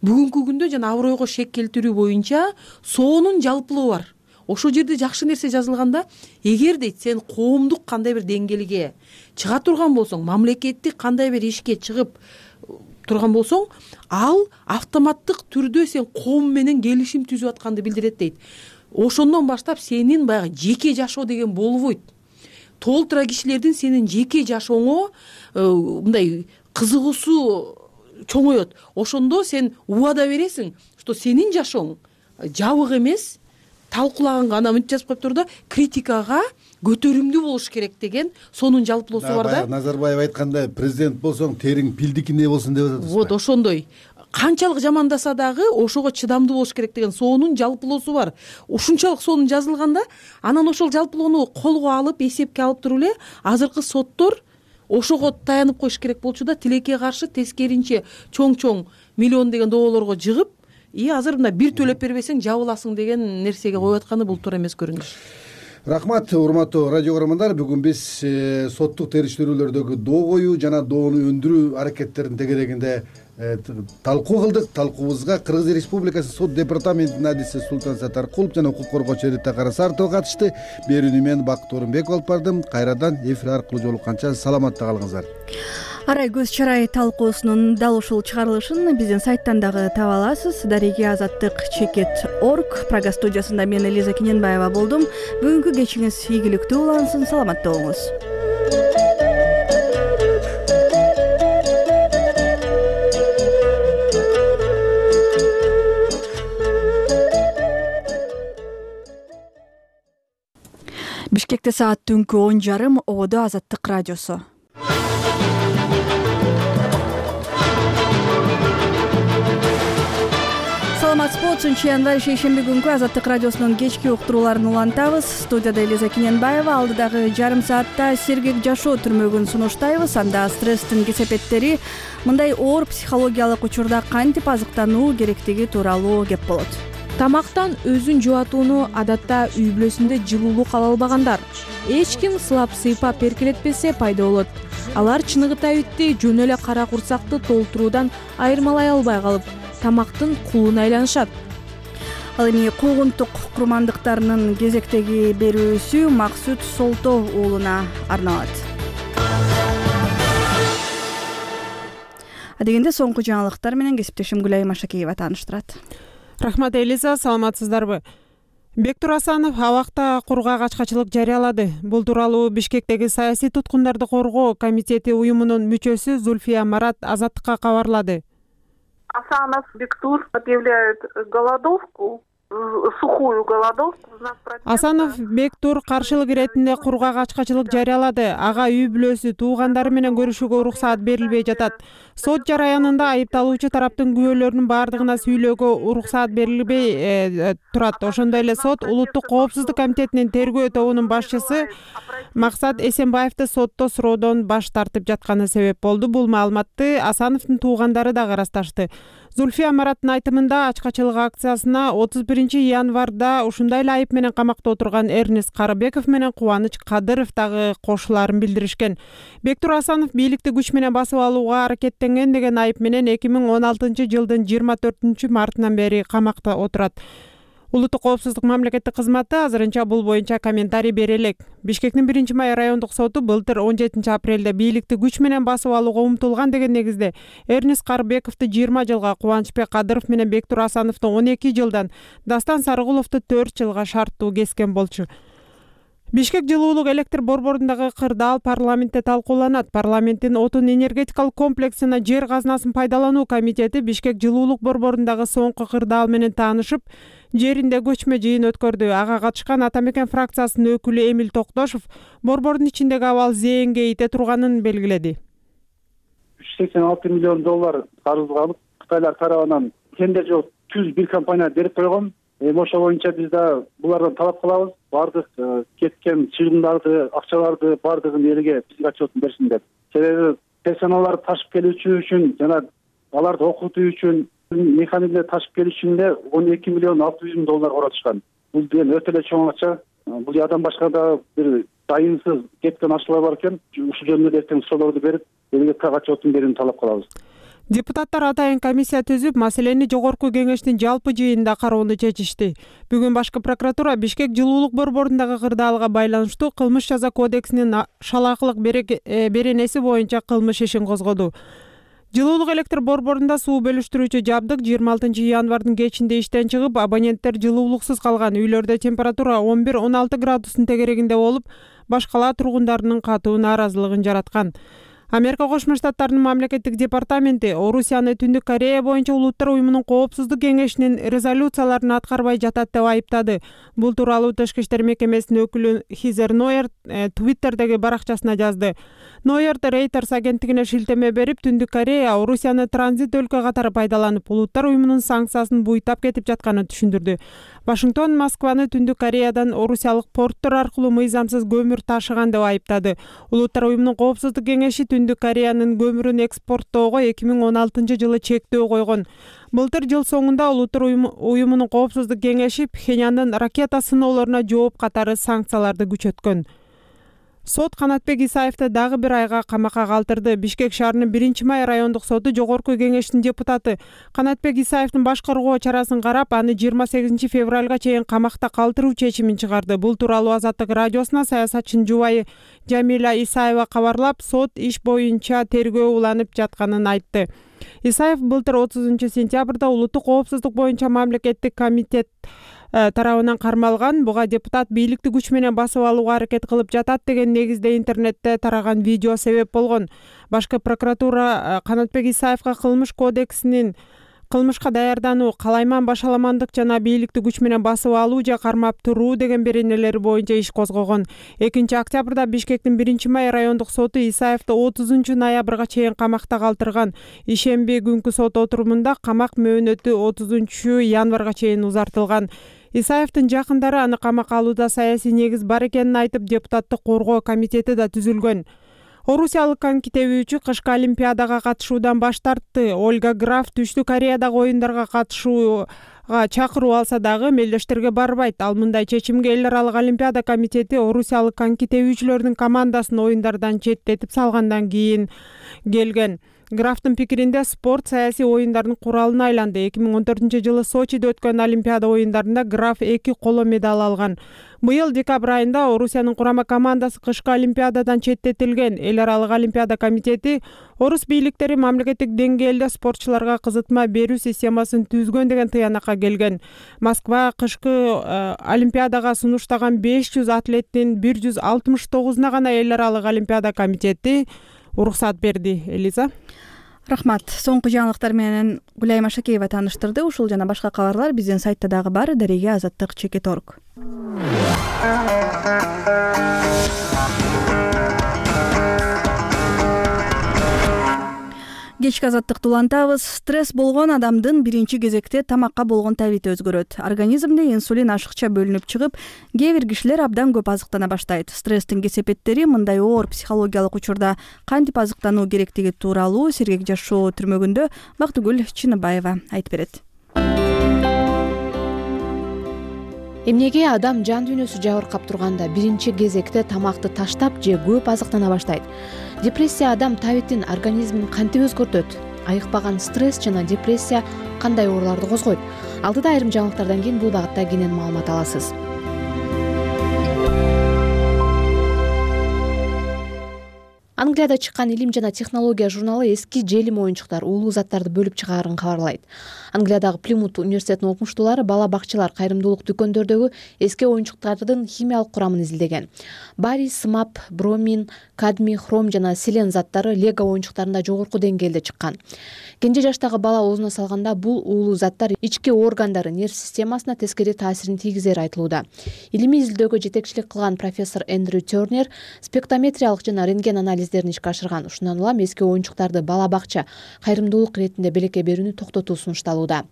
Бүгүнкү күндө жана абройго шек келтирүү боюнча соонун жалпылоо бар. Ошол жерде жакшы нерсе жазылганда, эгер дейт сен коомдук кандай бир деңгээлге чыга турган болсоң, мамлекеттик кандай бир ишке чыгып турган болсоң, ал автоматтык түрдө сен коом менен келишим түзүп атканды билдирет дейт. Ошондон баштап сенин баягы жеке жашоо деген болбойт. Толтура кишилердин сенин жеке жашооңо мындай кызыгуусу чоңоет. Ошондо сен убада бересиң, что сенин жашооң жабык эмес, талкуулаганга ана мынтип жазып коюптур да, критикага көтөрүмдүү болуш керек деген сонун жалпылоосу бар да. Назарбаев айткандай, президент болсоң териң пилдикиндей болсун деп атат. Вот ошондой. Канчалык жамандаса дагы ошого чыдамдуу болуш керек деген сонун жалпылоосу бар. Ушунчалык сонун жазылганда, анан ошол жалпылоону колго алып, эсепке алып туруп эле азыркы соттор ошого таянып коюш керек болчу да, тилекке каршы тескеринче чоң-чоң миллион деген доолорго жыгып, азыр мына бир төлөп бербесең жабыласың деген нерсеге коюп атканы бул туура эмес көрүнүш. Рахмат, урматтуу радио көрөрмандар. Бүгүн биз соттук териштирүүлөрдөгү доо коюу жана доону өндүрүү аракеттеринин тегерегинде талкуу кылдык. Талкуубузга Кыргыз Республикасы сот департаментинин адиси Султан Сатаркулов жана укук коргоочу Рита Карасартова катышты. Берүүнү мен Бакыт Орунбеков алып бардым. Кайрадан эфир аркылуу жолукканча саламатта калыңыздар. Арай көз чарай талкуусунун дал ушул чыгарылышын биздин сайттан дагы таба аласыз. Дареги Азаттык.org. Прага студиясында мен Элиза Кененбаева болдум. Бүгүнкү кечиңиз ийгиликтүү улансын, саламатта болуңуз. Бишкекте саат түнкү 10:30, ободо Азаттык радиосу. Саламатсызбы? 3 январь шейшемби күнкү Азаттык радиосунун кечки уктурууларын улантабыз. Студияда Элиза Кененбаева. Алдыдагы жарым саатта сергек жашоо түрмөгүн сунуштайбыз. Анда стресстин кесепеттери, мындай оор психологиялык учурда кантип азыктануу керектиги тууралуу кеп болот. Тамактан өзүн жубатууну адатта үй бүлөсүндө жылуулук ала албагандар. Эч ким сылап-сыйпап эркелетпесе пайда болот. Алар чыныгытабитти жөн эле кара курсакты толтуруудан айырмалай албай калып, тамактын кулуна айланышат. Ал эми куугунтук курмандыктарынын кезектеги берүүсү Максут Солто уулуна арналат. Адегенде соңку жаңылыктар менен кесиптешим Гүлай Машакеева тааныштырат. Рахмат Элиза, саламатсыздарбы? Бектур Асанов абакта кургак ачкачылык жарыялады. Бул тууралуу Бишкектеги саясий туткундарды коргоо комитети уюмунун мүчөсү Зульфия Марат Азаттыкка кабарлады. Асанов Бектур объявляет голодовку, сухую голодовку. Асанов Бектур каршылык иретинде кургак ачкачылык жарыялады. Ага үй бүлөсү, туугандары менен көрүшүүгө уруксаат берилбей жатат. Сот жараянында айыпталуучу тараптын күбөлөрүнүн баардыгына сүйлөөгө уруксаат берилбей турат. Ошондой эле сот Улуттук коопсуздук комитетинин тергөө тобунун башчысы Максат Эсенбаевди сотто суроодон баш тартып жатканы себеп болду. Бул маалыматты Асановдун туугандары да ырасташты. Зульфия Мараттын айтымында ачкачылык акциясына 31 январда ушундай эле айып менен камакта отурган Эрнест Карыбеков менен Кубаныч Кадыров дагы кошуларын билдиришкен. Бектур Асанов бийликти күч менен басып алууга аракеттенген деген айып менен 2016 жылдын 24 мартынан бери камакта отурат. Улуттук коопсуздук мамлекеттик кызматы азырынча бул боюнча комментарий бере элек. Бишкектин 1-Май райондук соту былтыр 17 апрелде бийликти күч менен басып алууга умтулган деген негизде Эрнест Карыбековду 20 жылга, Кубанычбек Кадыров менен Бектур Асановду 12 жылдан, Дастан Сарыгуловду 4 жылга шарттуу кескен болчу. Бишкек жылуулук электр борборундагы кырдаал парламентте талкууланат. Парламенттин отун энергетикалык комплексине жер казынасын пайдалануу комитети Бишкек жылуулук борборундагы соңку кырдаал менен таанышып, жеринде көчмө жыйын өткөрдү. Ага катышкан Ата Мекен фракциясынын өкүлү Эмил Токтошов борбордун ичиндеги абал зээнге ите турганын белгиледи. $86 миллион карызга алып, Кытайлар тарабынан тендер жок 101 компания берип койгон. Ошо боюнча биз да булардан талап кылабыз. Бардык кеткен чыгымдарды, акчаларды бардыгын элге бизге отчетун берсиндер. Себеби персоналдарды ташып келүүчү үчүн жана аларды окутуу үчүн механизмде ташып келүү үчүн эле $12 миллион $600 миң коротушкан. Бул деген өтө эле чоң акча. Бул ядан башка да бир дайынсыз кеткен акчалар бар экен. Ушул жөнүндө эртең суроолорду берип, элге отчетун берүүнү талап кылабыз. Депутаттар атайын комиссия түзүп, маселени жогорку кеңештин жалпы жыйынында кароону чечишти. Бүгүн башкы прокуратура Бишкек жылуулук борборундагы кырдаалга байланыштуу кылмыш жаза кодексинин шалаакылык беренеси боюнча кылмыш ишин козгоду. Жылуулук электр борборунда суу бөлүштүрүүчү жабдык 26 январдын кечинде иштен чыгып, абоненттер жылуулуксуз калган. Үйлөрдө температура 11-16 градустун тегерегинде болуп, баш кала тургундарынын катуу нааразылыгын жараткан. Америка Кошмо Штаттарынын мамлекеттик департаменти Орусияны Түндүк Корея боюнча улуттар уюмунун коопсуздук кеңешинин резолюцияларын аткарбай жатат деп айыптады. Бул тууралуу Тышкы иштер мекемесинин өкүлү Хизер Нойер Твиттердеги баракчасына жазды. Нойер Reuters агенттигине шилтеме берип, Түндүк Корея Орусияны транзит өлкө катары пайдаланып, улуттар уюмунун санкциясын буйтап кетип жатканын түшүндүрдү. Вашингтон Москваны Түндүк Кореядан орусиялык порттор аркылуу мыйзамсыз көмүр ташыган деп айыптады. Улуттар уюмунун коопсуздук кеңеши Түндүк Кореянын көмүрүн экспорттоого 2016 жылы чектөө койгон. Былтыр жыл соңунда улуттар уюмунун коопсуздук кеңеши Пхеньяндын ракета сыноолоруна жооп катары санкцияларды күчөткөн. Сот Канатбек Исаевди дагы бир айга камакка калтырды. Бишкек шаарынын 1-май райондук соту жогорку кеңештин депутаты Канатбек Исаевдин баш коргоо чарасын карап, аны 28 февралга чейин камакта калтыруу чечимин чыгарды. Бул тууралуу Азаттык радиосуна саясатчынын жубайы Жамиля Исаева кабарлап, сот иш боюнча тергөө уланып жатканын айтты. Исаев былтыр 30 сентябрда улуттук коопсуздук боюнча мамлекеттик комитет тарабынан кармалган. Буга депутат бийликти күч менен басып алууга аракет кылып жатат деген негизде интернетте тараган видео себеп болгон. Башкы прокуратура Канатбек Исаевга кылмыш кодексинин кылмышка даярдануу, калайман башаламандык жана бийликти күч менен басып алуу же кармап туруу деген беренелери боюнча иш козгогон. 2-октябрда Бишкектин 1-май райондук соту Исаевди 30 ноябрга чейин камакта калтырган. Ишемби күнкү сот отурумунда камак мөөнөтү 30 январга чейин узартылган. Исаевдин жакындары аны камакка алууда саясий негиз бар экенин айтып, депутаттык коргоо комитети да түзүлгөн. Орусиялык коньки тебүүчү кышкы олимпиадага катышуудан баш тартты. Ольга Граф Түштүк Кореядагы оюндарга катышууга чакыруу алса дагы мелдештерге барбайт. Ал мындай чечимге эл аралык олимпиада комитети орусиялык коньки тебүүчүлөрдүн командасын оюндардан четтетип салгандан кийин келген. Графтын пикиринде спорт саясий оюндардын куралына айланды. 2014-жылы Сочиде өткөн Олимпиада оюндарында Граф 2 коло медаль алган. Быйыл декабрь айында Орусиянын курама командасы кышкы Олимпиададан четтетилген. Эл аралык Олимпиада комитети орус бийликтери мамлекеттик деңгээлде спортчуларга кызытма берүү системасын түзгөн деген тыянакка келген. Москва кышкы Олимпиадага сунуштаган 500 атлеттин 169-уна гана эл аралык Олимпиада комитети уруксат берди. Элиза. Рахмат. Соңку жаңылыктар менен Гүлайым Ашакеева тааныштырды. Ушул жана башка кабарлар биздин сайтта дагы бар. Дареге Азаттык.org. Кечки Азаттыкты улантабыз. Стресс болгон адамдын биринчи кезекте тамакка болгон табити өзгөрөт. Организмде инсулин ашыкча бөлүнүп чыгып, кээ бир кишилер абдан көп азыктана баштайт. Стресстин кесепеттери мындай оор психологиялык учурда кантип азыктануу керектиги тууралуу Сергек жашоо түрмөгүндө Бактыгүл Чыныбаева айтып берет. Эмнеге адам жан дүйнөсү жабыркап турганда биринчи кезекте тамакты таштап же көп азыктана баштайт? Депрессия адам табитин, организмин кантип өзгөртөт? Айыкпаган стресс жана депрессия кандай ооруларды козгойт? Алдыда айрым жаңылыктардан кийин бул багытта кенен маалымат аласыз. Англияда чыккан Илим жана технология журналы эски желим оюнчуктар уулуу заттарды бөлүп чыгаарын кабарлайт. Англиядагы Плимут университетинин окумуштуулары бала бакчалар, кайрымдуулук дүкөндөрдөгү эски оюнчуктардын химиялык курамын изилдеген. Барий, смап, бромин, кадмий, хром жана селен заттары лего оюнчуктарында жогорку деңгээлде чыккан. Кенже жаштагы бала оозуна салганда бул уулуу заттар ички органдары, нерв системасына тескери таасирин тийгизери айтылууда. Илимий изилдөөгө жетекчилик кылган профессор Эндрю Тернер спектрометриялык жана рентген анализдерин ишке ашырган. Ушундан улам эски оюнчуктарды бала бакча, кайрымдуулук иретинде белекке берүүнү токтотуу сунушталууда.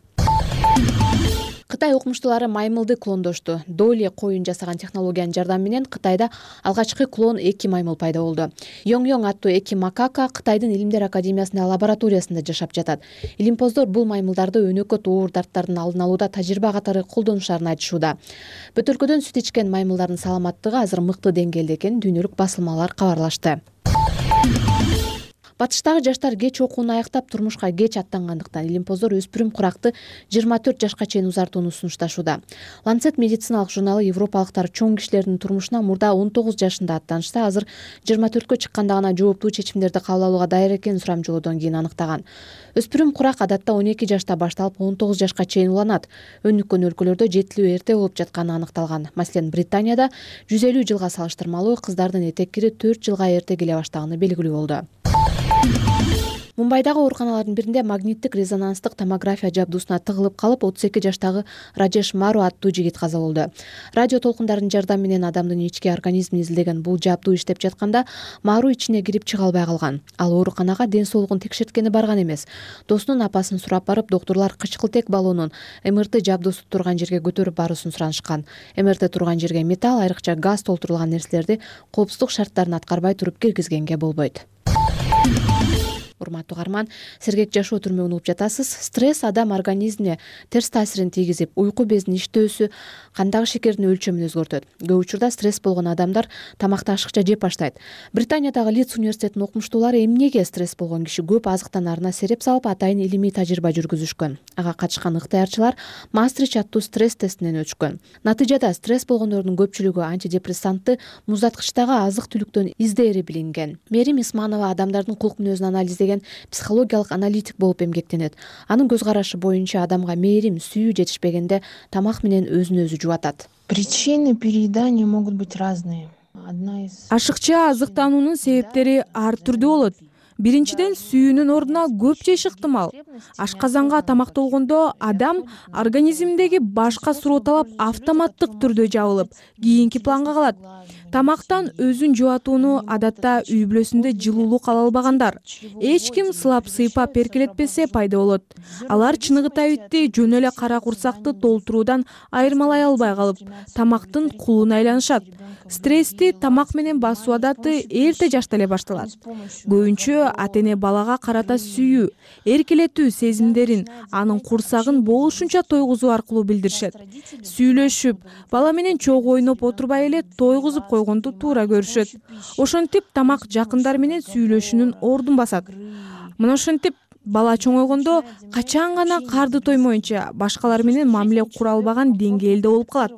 Кытай окумуштуулары маймылды клондошту. Доли коюн жасаган технологиянын жардамы менен Кытайда алгачкы клон эки маймыл пайда болду. Йоң аттуу эки макака Кытайдын Илимдер академиясынын лабораториясында жашап жатат. Илимпоздор бул маймылдарды өнөкөт оор дарттардын алдын алууда тажрыйба катары колдонушаарын айтышууда. Бөтөлкөдөн сүт ичкен маймылдардын саламаттыгы азыр мыкты деңгээлде экенин дүйнөлүк басылмалар кабарлашты. Батыштагы жаштар кеч окууну аяктап турмушка кеч аттангандыктан илимпоздор өспүрүм куракты 24 жашка чейин узартууну сунушташууда. Lancet медициналык журналы европалыктар чоң кишилердин турмушуна мурда 19 жашында аттанышта, азыр 24кө чыкканда гана жооптуу чечимдерди кабыл алууга даяр экенин сурамжылоодон кийин аныктаган. Өспүрүм курак адатта 12 жашта башталып 19 жашка чейин уланат. Өнүккөн өлкөлөрдө жетилүү эрте болуп жатканы аныкталган. Маселен, Британияда 150 жылга салыштырмалуу кыздардын этек кири 4 жылга эрте келе баштаганы белгилүү болду. Мумбайдагы ооруканалардын биринде магниттик резонанстык томография жабдуусуна тыгылып калып 32 жаштагы Раджеш Мару аттуу жигит каза болду. Радио толкундардын жардамы менен адамдын ички организмин изилдеген бул жабдуу иштеп жатканда Мару ичине кирип чыга албай калган. Ал ооруканага ден соолугун текшерткени барган эмес. Досунун апасын сурап барып, доктурлар кычкылтек баллонун МРТ жабдуусу турган жерге көтөрүп баруусын суранышкан. МРТ турган жерге металл, айрыкча газ толтурулган нерселерди коопсуздук шарттарын аткарбай туруп киргизгенге болбойт. урматтуу угарман, сергек жашоо түрмөгүн угуп жатасыз. Стресс адам организмине терс таасирин тийгизип, уйку безинин иштөөсү, кандагы шекердин өлчөмүн өзгөртөт. Көп учурда стресс болгон адамдар тамакты ашыкча жеп баштайт. Британиядагы Лидс университетинин окумуштуулары эмнеге стресс болгон киши көп азыктанаарына сереп салып, атайын илимий тажрыйба жүргүзүшкөн. Ага катышкан ыктыярчылар Мастрич аттуу стресс тестинен өтүшкөн. Натыйжада стресс болгондордун көпчүлүгү антидепрессантты муздаткычтагы азык-түлүктөн издээри билинген. Мерим Исманова адамдардын кулк мүнөзүн анализдеген психологиялык аналитик болуп эмгектенет. Анын көз карашы боюнча адамга мээрим, сүйүү жетишпегенде тамак менен өзүн өзү жубатат. Причины переедания могут быть разные. Ашыкча азыктануунун себептери ар түрдүү болот. Биринчиден, сүйүүнүн ордуна көп жеш ыктымал. Ашказанга тамак толгондо адам организминдеги башка суроо талап автоматтык түрдө жабылып, кийинки планга калат. Тамактан өзүн жубатууну адатта үй бүлөсүндө жылуулук ала албагандар, эч ким сылап сыйпап эркелетпесе пайда болот. Алар чыныгы табитти жөн эле кара курсакты толтуруудан айырмалай албай калып, тамактын кулуна айланышат. Стрессти тамак менен басуу адаты эрте жашта эле башталат. Көбүнчө ата-эне балага карата сүйүү, эркелетүү сезимдерин анын курсагын болушунча тойгузуу аркылуу билдиришет. Сүйлөшүп, бала менен чогуу ойноп отурбай эле тойгузуп койгонду туура көрүшөт. Ошентип тамак жакындар менен сүйлөшүүнүн ордун басат. Мына ошентип бала чоңойгондо качан гана карды тоймоюнча башкалар менен мамиле кура албаган деңгээлде болуп калат.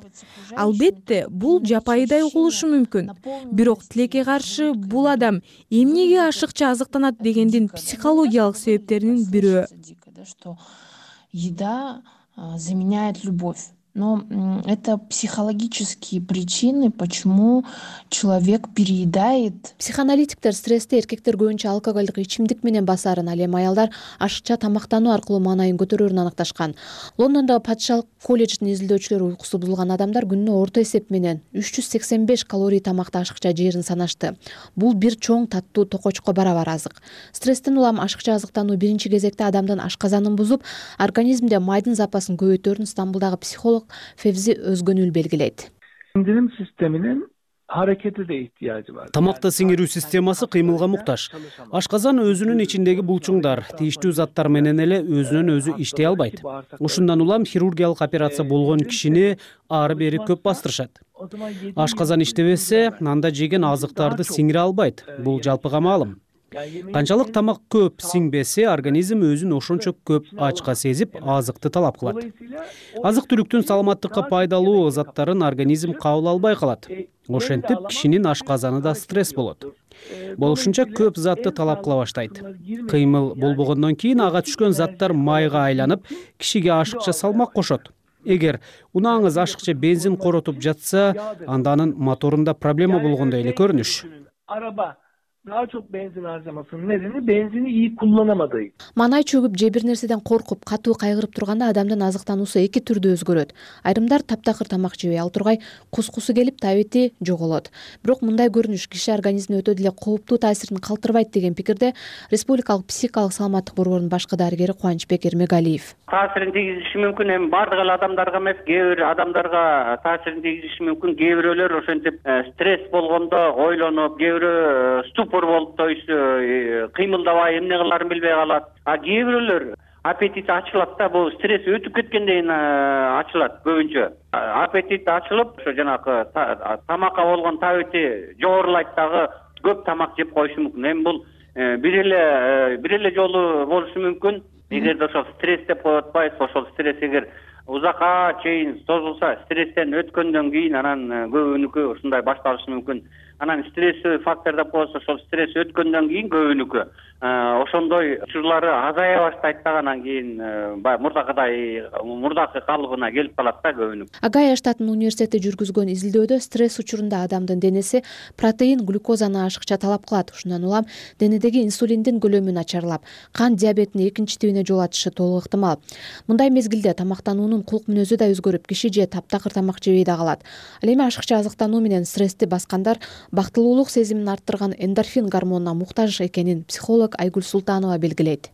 Албетте, бул жапайыдай угулушу мүмкүн. Бирок тилекке каршы бул адам эмнеге ашыкча азыктанат дегендин психологиялык себептеринин бирөө. Еда заменяет любовь. Но это психологические причины, почему человек переедает. Психоаналитиктер стрессти эркектер көбүнчө алкоголдук ичимдик менен басарын, ал эми аялдар ашыкча тамактануу аркылуу маанайын көтөрөөрүн аныкташкан. Лондондогу патшалык колледждин изилдөөчүлөрү уйкусу бузулган адамдар күнүнө орто эсеп менен 385 калорий тамакты ашыкча жээрин санашты. Бул бир чоң таттуу токочко барабар азык. Стресстен улам ашыкча азыктануу биринчи кезекте адамдын ашказанын бузуп, организмде майдын запасын көбөйтөөрүн Стамбулдагы психолог Февзи Өзгөнүл белгилейт. Сиңдирим системинин аракети де иhtiyacı var. Тамакты сиңирүү системасы кыймылга муктаж. Ашказан өзүнүн ичиндеги булчуңдар, тийиштүү заттар менен эле өзүнөн өзү иштей албайт. Ушундан улам хирургиялык операция болгон кишини ары бери көп бастырышат. Ашказан иштебесе, анда жеген азыктарды сиңире албайт. Бул жалпыга маалым. Канчалык тамак көп сиңбесе, организм өзүн ошончо көп ачка сезип, азыкты талап кылат. Азык-түлүктүн саламаттыкка пайдалуу заттарын организм кабыл албай калат. Ошентип, кишинин ашказаны да стресс болот. Болушунча көп затты талап кыла баштайт. Кыймыл болбогондон кийин ага түшкөн заттар майга айланып, кишиге ашыкча салмак кошот. Эгер унааңыз ашыкча бензин коротуп жатса, анда анын моторунда проблема болгондой эле көрүнүш. Araba daha çok benzin harcamasının nedeni benzini iyi kullanamadığı. Манай чөгүп же бир нерседен коркуп, катуу кайгырып турганда адамдын азыктануусу эки түрдө өзгөрөт. Айрымдар таптакыр тамак жебей ал тургай кускусу келип табити жоголот. Бирок мындай көрүнүш киши организмине өтө деле кооптуу таасирин калтырбайт деген пикирде Республикалык психикалык саламаттык борборунун башкы дарыгери Кубанычбек Эрмегалиев. Таасирин тийгизиши мүмкүн, эми бардык эле адамдарга эмес, кээ бир адамдарга таасирин тийгизиши мүмкүн. Кээ бирөөлөр ошентип стресс болгондо ойлонуп, кээ бирөө ступор болуп, то есть кыймылдабай эмне кылаарын билбей калат. А кээ бирөөлөр аппетит ачылат да, бул стресс өтүп кеткенден кийин ачылат көбүнчө. Аппетит ачылып, ошо жанагы тамакка болгон табити жогорулайт дагы, көп тамак жеп коюшу мүмкүн. Эми бул бир эле жолу болушу мүмкүн. Эгерде ошол стресс деп коюп атпайбыз, ошол стресс эгер узакка чейин созулса, стресстен өткөндөн кийин анан көбүнүкү ушундай башталышы мүмкүн. Анан стресстүү фактор деп коебуз, ошол стресс өткөндөн кийин көбүнүкү ошондой учурлары азая баштайт да, анан кийин мурдакы калыбына келип калат да көбүнүкү. Огайо штатынын университети жүргүзгөн изилдөөдө стресс учурунда адамдын денеси протеин, глюкозаны ашыкча талап кылат. Ушундан улам денедеги инсулиндин көлөмү начарлап, кан диабетинин экинчи тибине жол ачышы толук ыктымал. Мындай мезгилде тамактануунун кулк мүнөзү да өзгөрүп, киши же таптакыр тамак жебей да калат. Ал эми ашыкча азыктануу менен стрессти баскандар бактылуулук сезимин арттырган эндорфин гормонуна муктаж экенин психолог Айгүл Султанова белгилейт.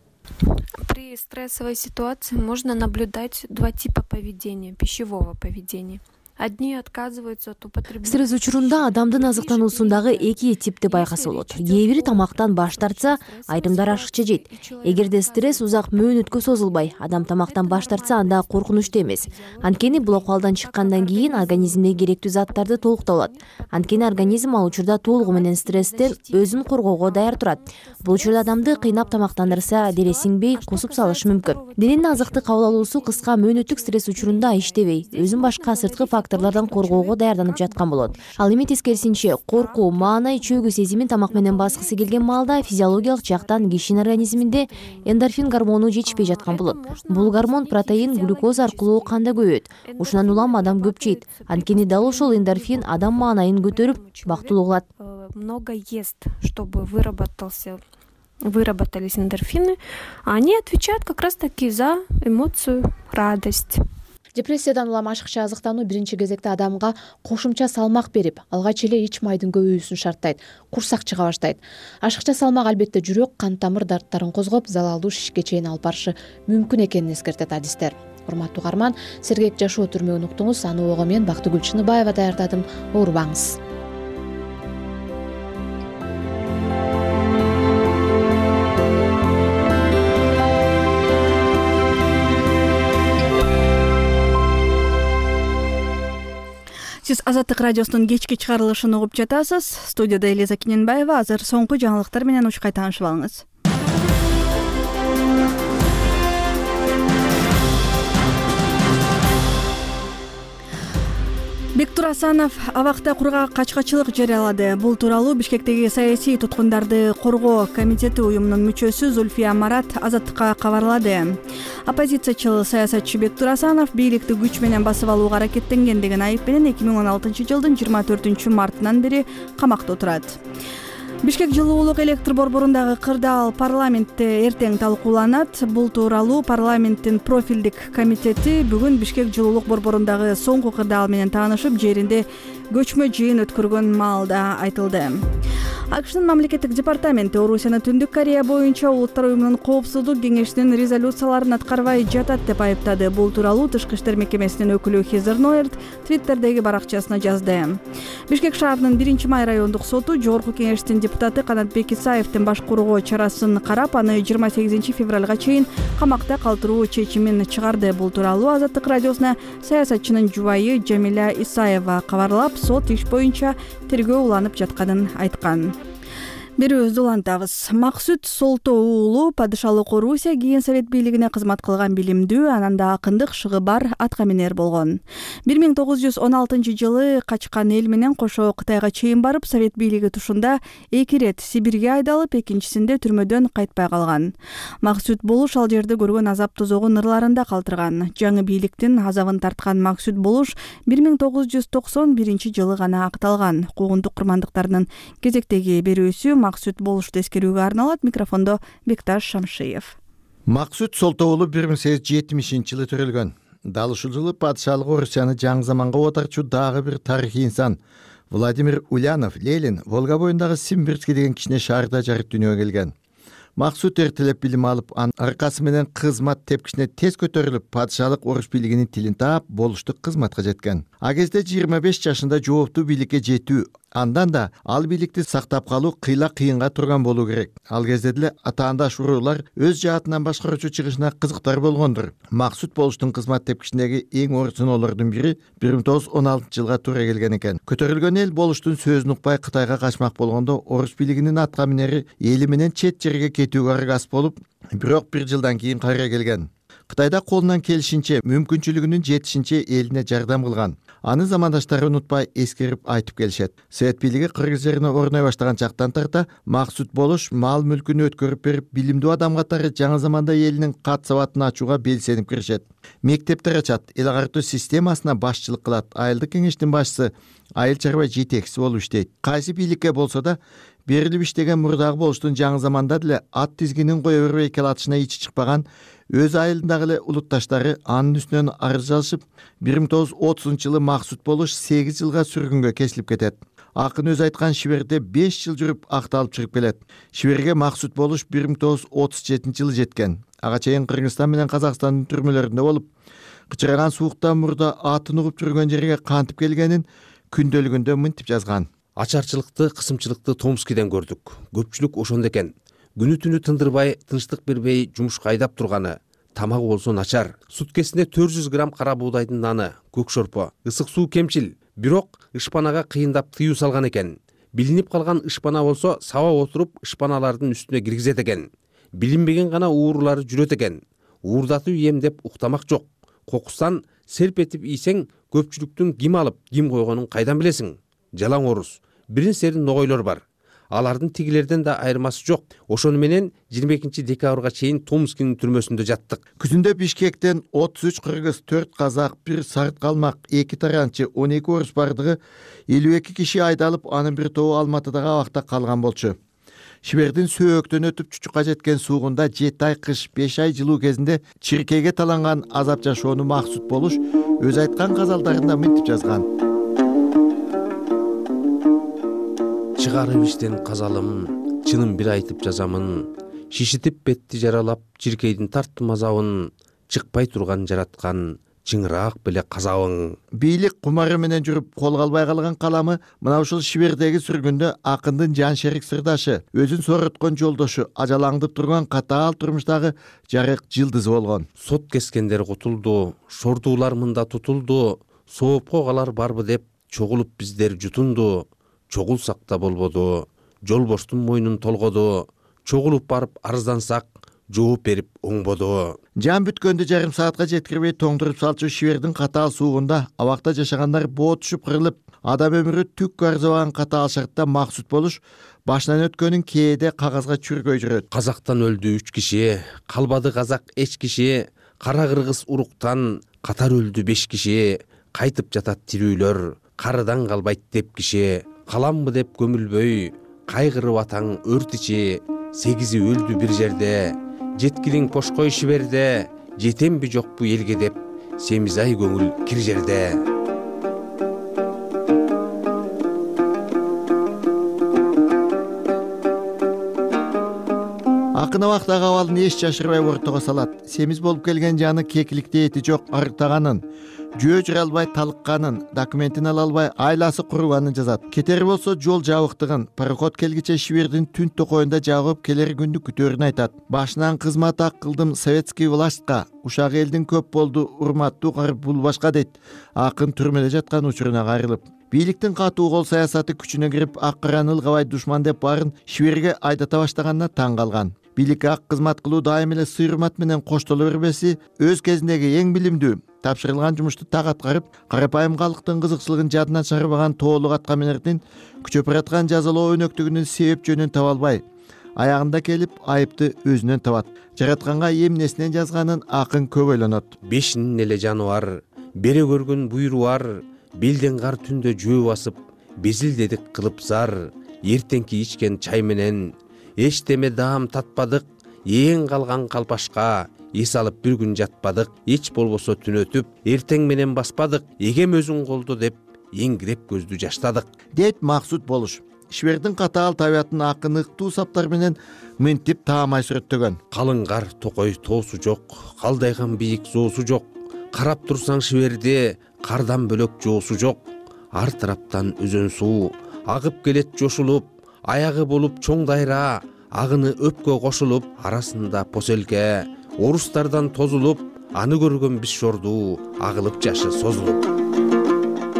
При стрессовой ситуации можно наблюдать два типа поведения, пищевого поведения. Одни отказываются от употребления. Стресс учурунда адамдын азыктануусундагы эки типти байкаса болот. Кээ бири тамактан баш тартса, айрымдар ашыкча жейт. Эгерде стресс узак мөөнөткө созулбай, адам тамактан баш тартса, анда коркунучтуу эмес. Анткени бул акыбалдан чыккандан кийин организмде керектүү заттарды толуктап алат. Анткени организм ал учурда толугу менен стресстен өзүн коргоого даяр турат. Бул учурда адамды кыйнап тамактандырса, дере сиңбей, кусуп салышы мүмкүн. Дененин азыкты кабыл алуусу кыска мөөнөттүк стресс учурунда иштебей, өзүн башка сырткы факторлордон коргоого даярданып жаткан болот. Ал эми тескерисинче, коркуу, маанай, чөгүү сезимин тамак менен баскысы келген маалда физиологиялык жактан кишинин организминде эндорфин гормону жетишпей жаткан болот. Бул гормон протеин, глюкоз аркылуу канда көбөйөт. Ушундан улам адам көп жейт. Анткени дал ошол эндорфин адам маанайын көтөрүп, бактылуу кылат. Много ест, чтобы выработались эндорфины, а они отвечают как раз-таки за эмоцию, радость. Депрессиядан улам ашыкча азыктануу биринчи кезекте адамга кошумча салмак берип, алгач эле ич майдын көбөйүүсүн шарттайт, курсак чыга баштайт. Ашыкча салмак албетте жүрөк, кан тамыр дарттарын козгоп, залалдуу шишке чейин алып барышы мүмкүн экенин эскертет адистер. Урматтуу угарман, сергек жашоо түрмөгүн уктуңуз. Аны ого мен Бактыгүл Чыныбаева даярдадым. Оорубаңыз. Сиз Азаттык радиосунун кечки чыгарылышын угуп жатасыз. Студияда Элиза Кененбаева. Азыр соңку жаңылыктар менен учкай таанышып алыңыз. Бектур Асанов абакта кургак качкачылык жарыялады. Бул тууралуу Бишкектеги саясий туткундарды коргоо комитети уюмунун мүчөсү Зульфия Марат Азаттыкка кабарлады. Оппозициячыл саясатчы Бектур Асанов бийликти күч менен басып алууга аракеттенген деген айып менен 2016 жылдын 24 мартынан бери камакта отурат. Бишкек жылуулук электр борборундагы кырдаал парламентте эртең талкууланат. Бул тууралуу парламенттин профилдик комитети бүгүн Бишкек жылуулук борборундагы соңку кырдаал менен таанышып, жеринде көчмө жыйын өткөргөн маалда айтылды. АКШнын мамлекеттик департаменти Орусияны Түндүк Корея боюнча Улуттар уюмунун коопсуздук кеңешинин резолюцияларын аткарбай жатат деп айыптады. Бул тууралуу Тышкы иштер мекемесинин өкүлү Хизер Ноерт Твиттердеги баракчасына жазды. Бишкек шаарынын 1-май райондук соту Жогорку кеңештин депутаты Канатбек Исаевдин баш коргоо чарасын карап, аны 28 февралга чейин камакта калтыруу чечимин чыгарды. Бул тууралуу Азаттык радиосуна саясатчынын жубайы Жамиля Исаева кабарлап, сот иш боюнча тергөө уланып жатканын айткан. Берүүбүздү улантабыз. Максут Солто уулу падышалык Орусия кийин Совет бийлигине кызмат кылган билимдүү, ананда акындык шыгы бар аткаминер болгон. 1916 жылы качкан эл менен кошо Кытайга чейин барып, Совет бийлиги тушунда 2 рет Сибирге айдалып, экинчисинде түрмөдөн кайтпай калган. Максут Болуш ал жерде көргөн азап тозогун ырларында калтырган. Жаңы бийликтин азабын тарткан Максут Болуш 1991 жылы гана акталган. Куугунтук курмандыктарынын кезектеги берүүсү Максут Болушту эскерүүгө арналат. Микрофондо Бекташ Шамшиев. Максут Солто уулу 1870 жылы төрөлгөн. Дал ушул жылы падышалык Орусияны жаңы заманга отарчу дагы бир тарыхый инсан Владимир Ульянов Ленин Волга боюндагы Симбирский деген кичине шаарда жарык дүйнөгө келген. Максут эртелеп билим алып, анын аркасы менен кызмат тепкичине тез көтөрүлүп, падышалык Орус бийлигинин тилин таап, болуштук кызматка жеткен. А кезде 25 жашында жооптуу бийликке жетүү, андан да ал бийликти сактап калуу кыйла кыйынга турган болуу керек. Ал кезде деле атаандаш уруулар өз жаатынан башкаруучу чыгышына кызыктар болгондур. Максут Болуштун кызмат тепкичиндеги эң оор сыноолордун бири 1916 жылга туура келген экен. Көтөрүлгөн эл Болуштун сөзүн укпай Кытайга качмак болгондо Орус бийлигинин аткаминери эли менен чет жерге кетүүгө аргас болуп, бирок 1 жылдан кийин кайра келген. Кытайда колунан келишинче, мүмкүнчүлүгүнүн жетишинче элине жардам кылган. Аны замандаштары унутпай эскерип айтып келишет. Совет бийлиги Кыргыз жерине орной баштаган чактан тарта Максут Болуш мал мүлкүн өткөрүп берип, билимдүү адам катары жаңы заманда элинин кат сабатын ачууга белсенип киришет. Мектептер ачат, эл агартуу системасына башчылык кылат. Айылдык кеңештин башчысы, айыл чарба жетекчиси болуп иштейт. Кайсы бийликке болсо да берилип иштеген мурдагы Болуштун жаңы заманда деле ат тизгинин кое бербей келатышына ичи чыкпаган өз айылындагы эле улутташтары анын үстүнөн арыз жазышып, 1930 жылы Максут Болуш 8 жылга сүргүнгө кесилип кетет. Акын өз айткан Шиберде 5 жыл жүрүп акталып чыгып келет. Шиберге Максут Болуш 1937 жылы жеткен. Ага чейин Кыргызстан менен Казакстандын түрмөлөрүндө болуп, кычыраган сууктан мурда атын угуп жүргөн жерге кантип келгенин күндөлүгүндө мынтип жазган. Ачарчылыкты, кысымчылыкты Томскиден көрдүк. Көпчүлүк ошондо экен. Күнү түнү тындырбай, тынчтык бербей жумушка айдап турганы. Тамагы болсо начар. Суткесинде 400 грамм кара буудайдын наны, көк шорпо, ысык суу кемчил. Бирок ышпанага кыйындап тыюу салган экен. Билинип калган ышпана болсо саба отуруп ышпаналардын үстүнө киргизет экен. Билинбеген гана уурулары жүрөт экен. Уурдатып ийем деп уктамак жок. Кокустан серп этип ийсең, көпчүлүктүн ким алып, ким койгонун кайдан билесиң? Жалаң орус. Бирин серин ногойлор бар. Алардын тигилерден да айырмасы жок. Ошону менен 22 декабрга чейин Томскинин түрмөсүндө жаттык. Күзүндө Бишкектен 33 кыргыз, 4 казак, 1 сарт калмак, 2 таранчы, 12 орус бардыгы 52 киши айдалып, анын бир тобу Алматыдагы абакта калган болчу. Шибердин сөөктөн өтүп Чучукка жеткен суугунда 7 ай кыш, 5 ай жылуу кезинде чиркейге таланган азап жашоону максут болуш өз айткан казалдарында мынтип жазган. Чыгарып иштен казалым, чынын бир айтып жазамын. Шишитип бетти жаралап, чиркейдин тарттым азабын. Чыкпай турган жараткан, чыңыраак беле казабың. Бийлик кумары менен жүрүп колго албай калган каламы мына ушул Шибердеги сүргүндө акындын жан шерик сырдашы, өзүн сороткон жолдошу, ажалаңдып турган катаал турмуштагы жарык жылдызы болгон. Сот кескендер кутулду, шордуулар мында тутулду, соопко калар барбы деп чогулуп биздер жутунду. Чогулсак да болбоду, жолбоштун мойнун толгоду, чогулуп барып арыздансак, жооп берип оңбоду. Жан бүткөндү жарым саатка жеткирбей тоңдуруп салчу Шибердин катаал суугунда абакта жашагандар боо түшүп кырылып, адам өмүрү түк арзыбаган катаал шартта максут болуш башынан өткөнүн кээде кагазга чүргөй жүрөт. Казактан өлдү 3 киши, калбады казак эч киши, кара кыргыз уруктан катар өлдү 5 киши, кайтып жатат тирүүлөр, карыдан калбайт деп киши. Каламбы деп көмүлбөй, кайгырып атаң өрт ичи, 8-и өлдү бир жерде, жеткилиң пошкой Шиберде, жетемби жокпу элге деп, семиз ай көңүл кир жерде. Акын абактагы абалын эч жашырбай ортого салат. Семиз болуп келген жаны кекиликте эти жок арыктаганын, жөө жүрө албай талыкканын, документин ала албай айласы куруганын жазат. Кетери болсо жол жабыктыгын, пароход келгиче Шибердин түн токоюнда жагып келер күндү күтөөрүн айтат. Башынан кызмат ак кылдым советский властька, ушак элдин көп болду, урматтуу кар бул башка дейт. Акын түрмөдө жаткан учуруна кайрылып. Бийликтин катуу кол саясаты күчүнө кирип, ак караны ылгабай душман деп баарын Шиберге айдата баштаганына таң калган. Бийликке ак кызмат кылуу дайым эле сый-урмат менен коштоло бербеси өз кезиндеги эң билимдүү, тапшырылган жумушту так аткарып, карапайым калктын кызыкчылыгын жадынан чыгарбаган тоолук аткаминердин күчөп бараткан жазалоо өнөктүгүнүн себеп жөнүн таба албай, аягында келип айыпты өзүнөн табат. Жаратканга эмнесинен жазганын акын көп ойлонот. Бешинин эле жаны бар, бере көргөн буйру бар, белден кар түндө жөө басып, безилдедик кылып зар, эртеңки ичкен чай менен эчтеме даам татпадык, эң калган калпашка эс алып бир күн жатпадык, эч болбосо түн өтүп, эртең менен баспадык, эгем өзүң колдо деп эңгиреп көздү жаштадык, дейт максут болуш. Шибердин катаал табиятын акын ыктуу саптар менен мынтип таамай сүрөттөгөн. Калың кар токой тоосу жок, калдайган бийик жоосу жок, карап турсаң Шиберде кардан бөлөк жоосу жок, ар тараптан өзөн суу агып келет жошулуп, аягы болуп чоң дайра, агыны өпкө кошулуп, арасында поселке, орустардан тозулуп, аны көргөн биз шорду, агылып жашы созулуп.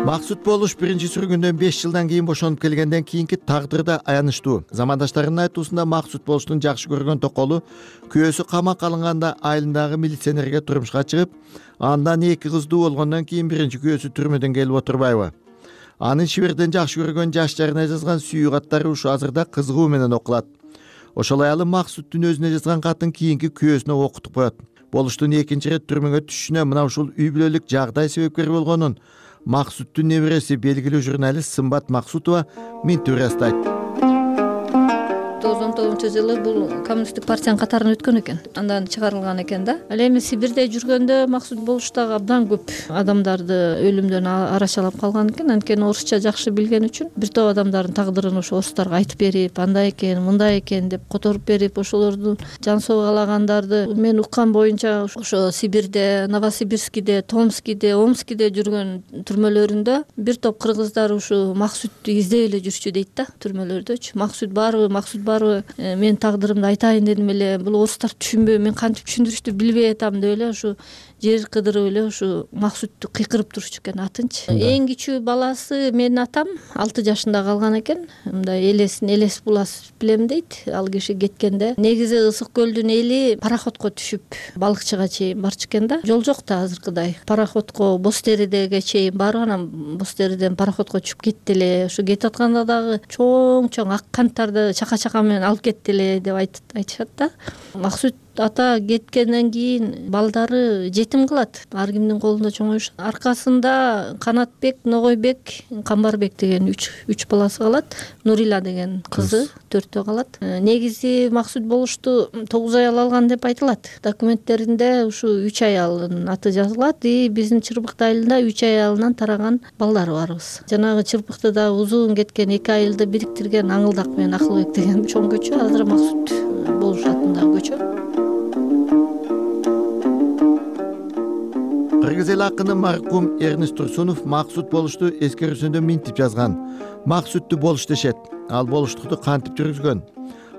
Максут болуш биринчи сүргүндөн 5 жылдан кийин бошонуп келгенден кийинки тагдыры да аянычтуу. Замандаштарынын айтуусунда Максут болуштун жакшы көргөн токолу күйөөсү камакка алынганда айылындагы милиционерге турмушка чыгып, андан 2 кыздуу болгондон кийин биринчи күйөөсү түрмөдөн келип отурбайбы. Анын Шиберден жакшы көргөн жаш жарына жазган сүйүү каттары ушу азырда кызыгуу менен окулат. Ошол аялы Максуттун өзүнө жазган катын кийинки күйөөсүнө окутуп коет. Болуштун экинчи ирет түрмөгө түшүшүнө мына ушул үй бүлөлүк жагдай себепкер болгонун Максуттун небереси белгилүү журналист Сымбат Максутова мынтип ырастайт. жылы бул коммунисттик партиянын катарына өткөн экен, андан чыгарылган экен да. Ал эми Сибирде жүргөндө Максут Болуш дагы абдан көп адамдарды өлүмдөн арашалап калган экен. Анткени орусча жакшы билген үчүн бир топ адамдардын тагдырын ошо орустарга айтып берип, андай экен, мындай экен деп которуп берип, ошолордун жан согалагандарды мен уккан боюнча ошо Сибирде, Новосибирскиде, Томскиде, Омскиде жүргөн түрмөлөрүндө бир топ кыргыздар ушу Максутты издеп эле жүрчү дейт да, түрмөлөрдөчү. Максут барбы, мен тагдырымды айтайын дедим эле, бул орустар түшүнбөй, мен кантип түшүндүрүштү билбей атам деп эле ушу жер кыдырып эле ушу Максутту кыйкырып турушчу экен атынчы. Эң кичүү баласы менин атам 6 жашында калган экен. Мындай элес булас билем дейт. Ал киши кеткенде негизи Ысык көлдүн эли пароходко түшүп балыкчыга чейин барчу экен да. Жол жок да азыркыдай. Пароходко Боз Теридеге чейин барып, анан Боз Териден пароходко түшүп кетти эле. Ушу кетип атканда дагы чоң ак канттарды чака менен алып кетти эле деп айтышат да. Максут ата кеткенден кийин балдары жетим кылат. Ар кимдин колунда чоңоюшат. Аркасында Канатбек, Ногойбек, Камбарбек деген 3 баласы калат. Нурила деген кызы 4тө калат. Негизи Максут Болушту 9 аял алган деп айтылат. Документтеринде ушу 3 аялдын аты жазылат. Биздин Чырбыкты айылында 3 аялынан тараган балдары барбыз. Жанагы Чырбыктыда узун кеткен 2 айылды бириктирген Аңылдак менен Акылбек деген чоң көчө, азыр Максут Болуш атындагы көчө. Кыргыз эл акыны маркум Эрнест Турсунов Максут Болушту эскерүүсүндө минтип жазган. Максутту Болуш дешет. Ал болуштукту кантип жүргүзгөн?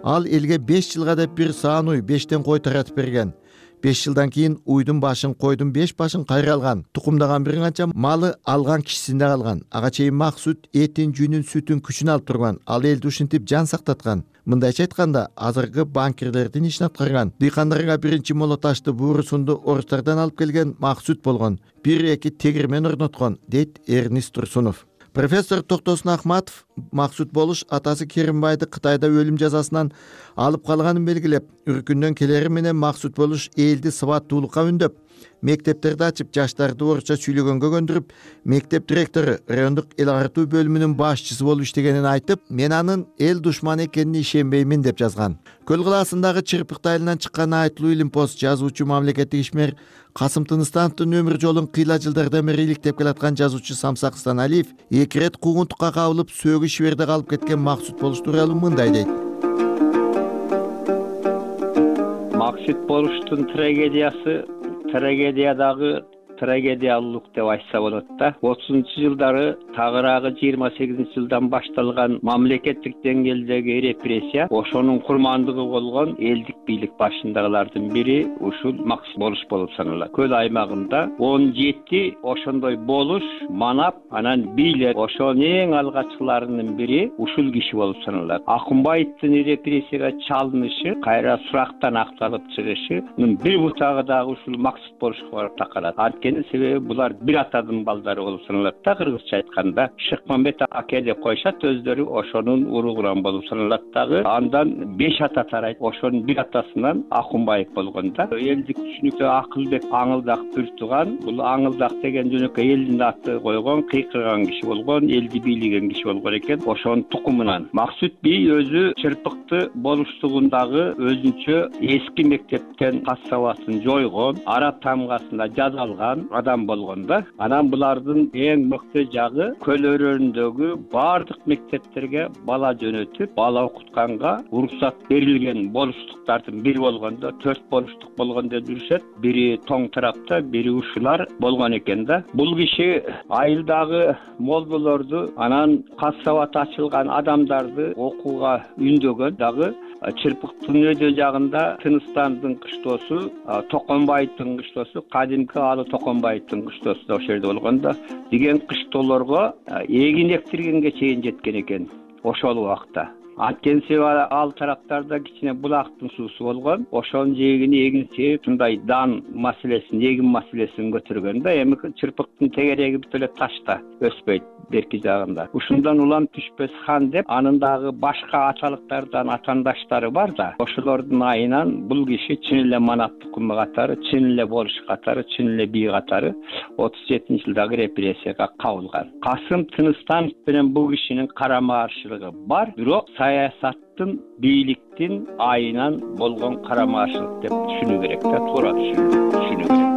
Ал элге 5 жылга деп бир саан уй 5тен кой таратып берген. 5 жылдан кийин уйдун башын, койдун 5 башын кайра алган. Тукумдаган бир канча малы алган кишисинде калган. Ага чейин Максут этин, жүнүн, сүтүн, күчүн алып турган. Ал элди ушинтип жан сактаткан. Мындайча айтканда, азыркы банкирлердин ишин аткарган. Дыйкандарга биринчи молоташты буурусунду орустардан алып келген Максут болгон. 1-2 тегирмен орноткон, дейт Эрнест Турсунов. Профессор Токтосун Ахматов Максут Болуш атасы Керимбайды Кытайда өлүм жазасынан алып калганын белгилеп, үркүндөн келери менен Максут Болуш элди сабаттуулукка үндөп, мектептерди ачып, жаштарды орусча сүйлөгөнгө көндүрүп, мектеп директору, райондук эл агартуу бөлүмүнүн башчысы болуп иштегенин айтып, мен анын эл душманы экенине ишенбеймин деп жазган. Көл кылаасындагы Чырпыкты айылынан чыккан айтылуу илимпоз жазуучу, мамлекеттик ишмер Касым Тыныстановдун өмүр жолун кыйла жылдардан бери иликтеп келаткан жазуучу Самсак Станалиев 2 рет куугунтукка кабылып, сөөгү Шиберде калып кеткен Максут Болуш тууралуу мындай дейт. Максут Болуштун трагедиядагы трагедиялуулук деп айтса болот да. 30-жылдары тагыраагы 28-жылдан башталган мамлекеттик деңгээлдеги репрессия ошонун курмандыгы болгон элдик бийлик башындагылардын бири ушул Максут Болуш болуп саналат. Көл аймагында 17 ошондой болуш манап, анан бийлер ошонун эң алгачкыларынын бири ушул киши болуп саналат. Акунбаевдин репрессияга чалынышы, кайра сурактан акталып чыгышынын бир бутагы дагы ушул Максут Болушка барып такалат. Себеби булар бир атадын балдары болуп саналат да, кыргызча айтканда. Шыкмамбет аке деп коюшат, өздөрү ошонун уругунан болуп саналат дагы. Андан 5 ата тарайт. Ошонун бир атасынан Акунбаев болгон да. Элдик түшүнүктө Акылбек Аңылдак бир тууган. Бул Аңылдак деген жөнөкөй элдин аты койгон, кыйкырган киши болгон, элди бийлеген киши болгон экен. Ошонун тукумунан. Максут би өзү Чырпыкты болуштугундагы өзүнчө эски мектептен кассабасын жойгон, араб тамгасында жазалган адам болгонда, анан булардын эң мыкты жагы көл өрөөнүндөгү баардык мектептерге бала жөнөтүп, бала окутканга уруксат берилген болуштуктардын бири болгондо 4 болуштук болгон деп жүрүшөт. Бири тоң тарапта, бири ушулар болгон экен да. Бул киши айылдагы молдолорду, анан кассабат ачылган адамдарды окууга үндөгөн дагы. Чырпыктын өйдө жагында Тыныстандын кыштоосу, Токонбаевдин кыштоосу, кадимки Алы Токонбаевдин кыштоосу да ошол жерде болгон да, деген кыштоолорго эгин эктиргенге чейин жеткен экен ошол убакта. Анткени себеби ал тараптарда кичине булактын суусу болгон, ошонун жээгини эгин себеп ушундай дан маселесин, эгин маселесин көтөргөн да. Эми Чырпыктын тегереги бүт эле ташта өспөйт берки жагында. Ушундан улам түшпөс хан деп, анын дагы башка аталыктардан атандаштары бар да. Ошолордун айынан бул киши чын эле манап тукуму катары, чын эле болуш катары, чын эле бий катары 37-жылдагы репрессияга кабылган. Касым Тыныстанов менен бул кишинин карама каршылыгы бар, бирок саясаттын бийликтин айынан болгон карамашылык деп түшүнүү керек да, туура түшүнүү керек.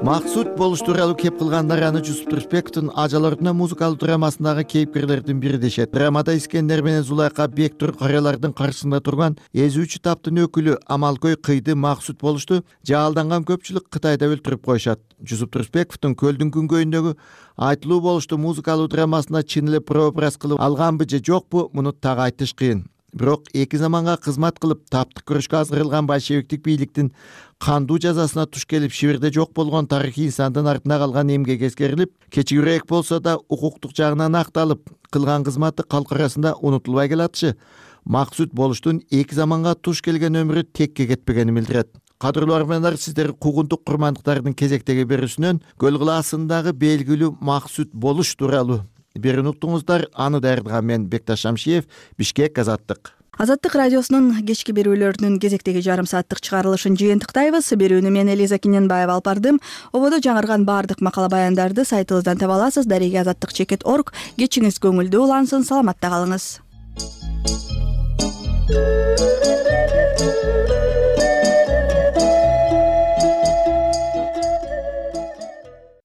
Максут болуш тууралуу кеп кылгандар аны Жусуп Турсунбековдун Ажал ордуна музыкалдуу драмасындагы кейипкерлердин бири дешет. Драмада Искендер менен Зулайка Бектур карыялардын каршысында турган эзүүчү таптын өкүлү Амалкөй кыйды Максут болушту жаалданган көпчүлүк Кытайда өлтүрүп коюшат. Жусуп Турсунбековдун Көлдүн күнгөйүндөгү айтылуу болушту музыкалуу драмасына чын эле прообраз кылып алганбы же жокпу, муну так айтыш кыйын. Бирок эки заманга кызмат кылып таптык күрөшкө азгырылган большевиктик бийликтин кандуу жазасына туш келип Шибирде жок болгон тарыхый инсандын артына калган эмгеги эскерилип, кечигирээк болсо да укуктук жагынан акталып, кылган кызматы калк арасында унутулбай келатышы Максут болуштун эки заманга туш келген өмүрү текке кетпегенин билдирет. Кадырлуу армандар, сиздер куугунтук курмандыктардын кезектеги берүүсүнөн Көл кылаасындагы белгилүү Максут болуш тууралуу берүүнү уктуңуздар. Аны даярдаган мен Бекташ Шамшиев, Бишкек, Азаттык. Азаттык радиосунун кечки берүүлөрүнүн кезектеги жарым сааттык чыгарылышын жыйынтыктайбыз. Берүүнү мен Элиза Киненбаева алып бардым. Ободо жаңырган баардык макала баяндарды сайтыбыздан таба аласыз. Дареге azаттык.org. Кечиңиз көңүлдүү улансын, саламатта калыңыз.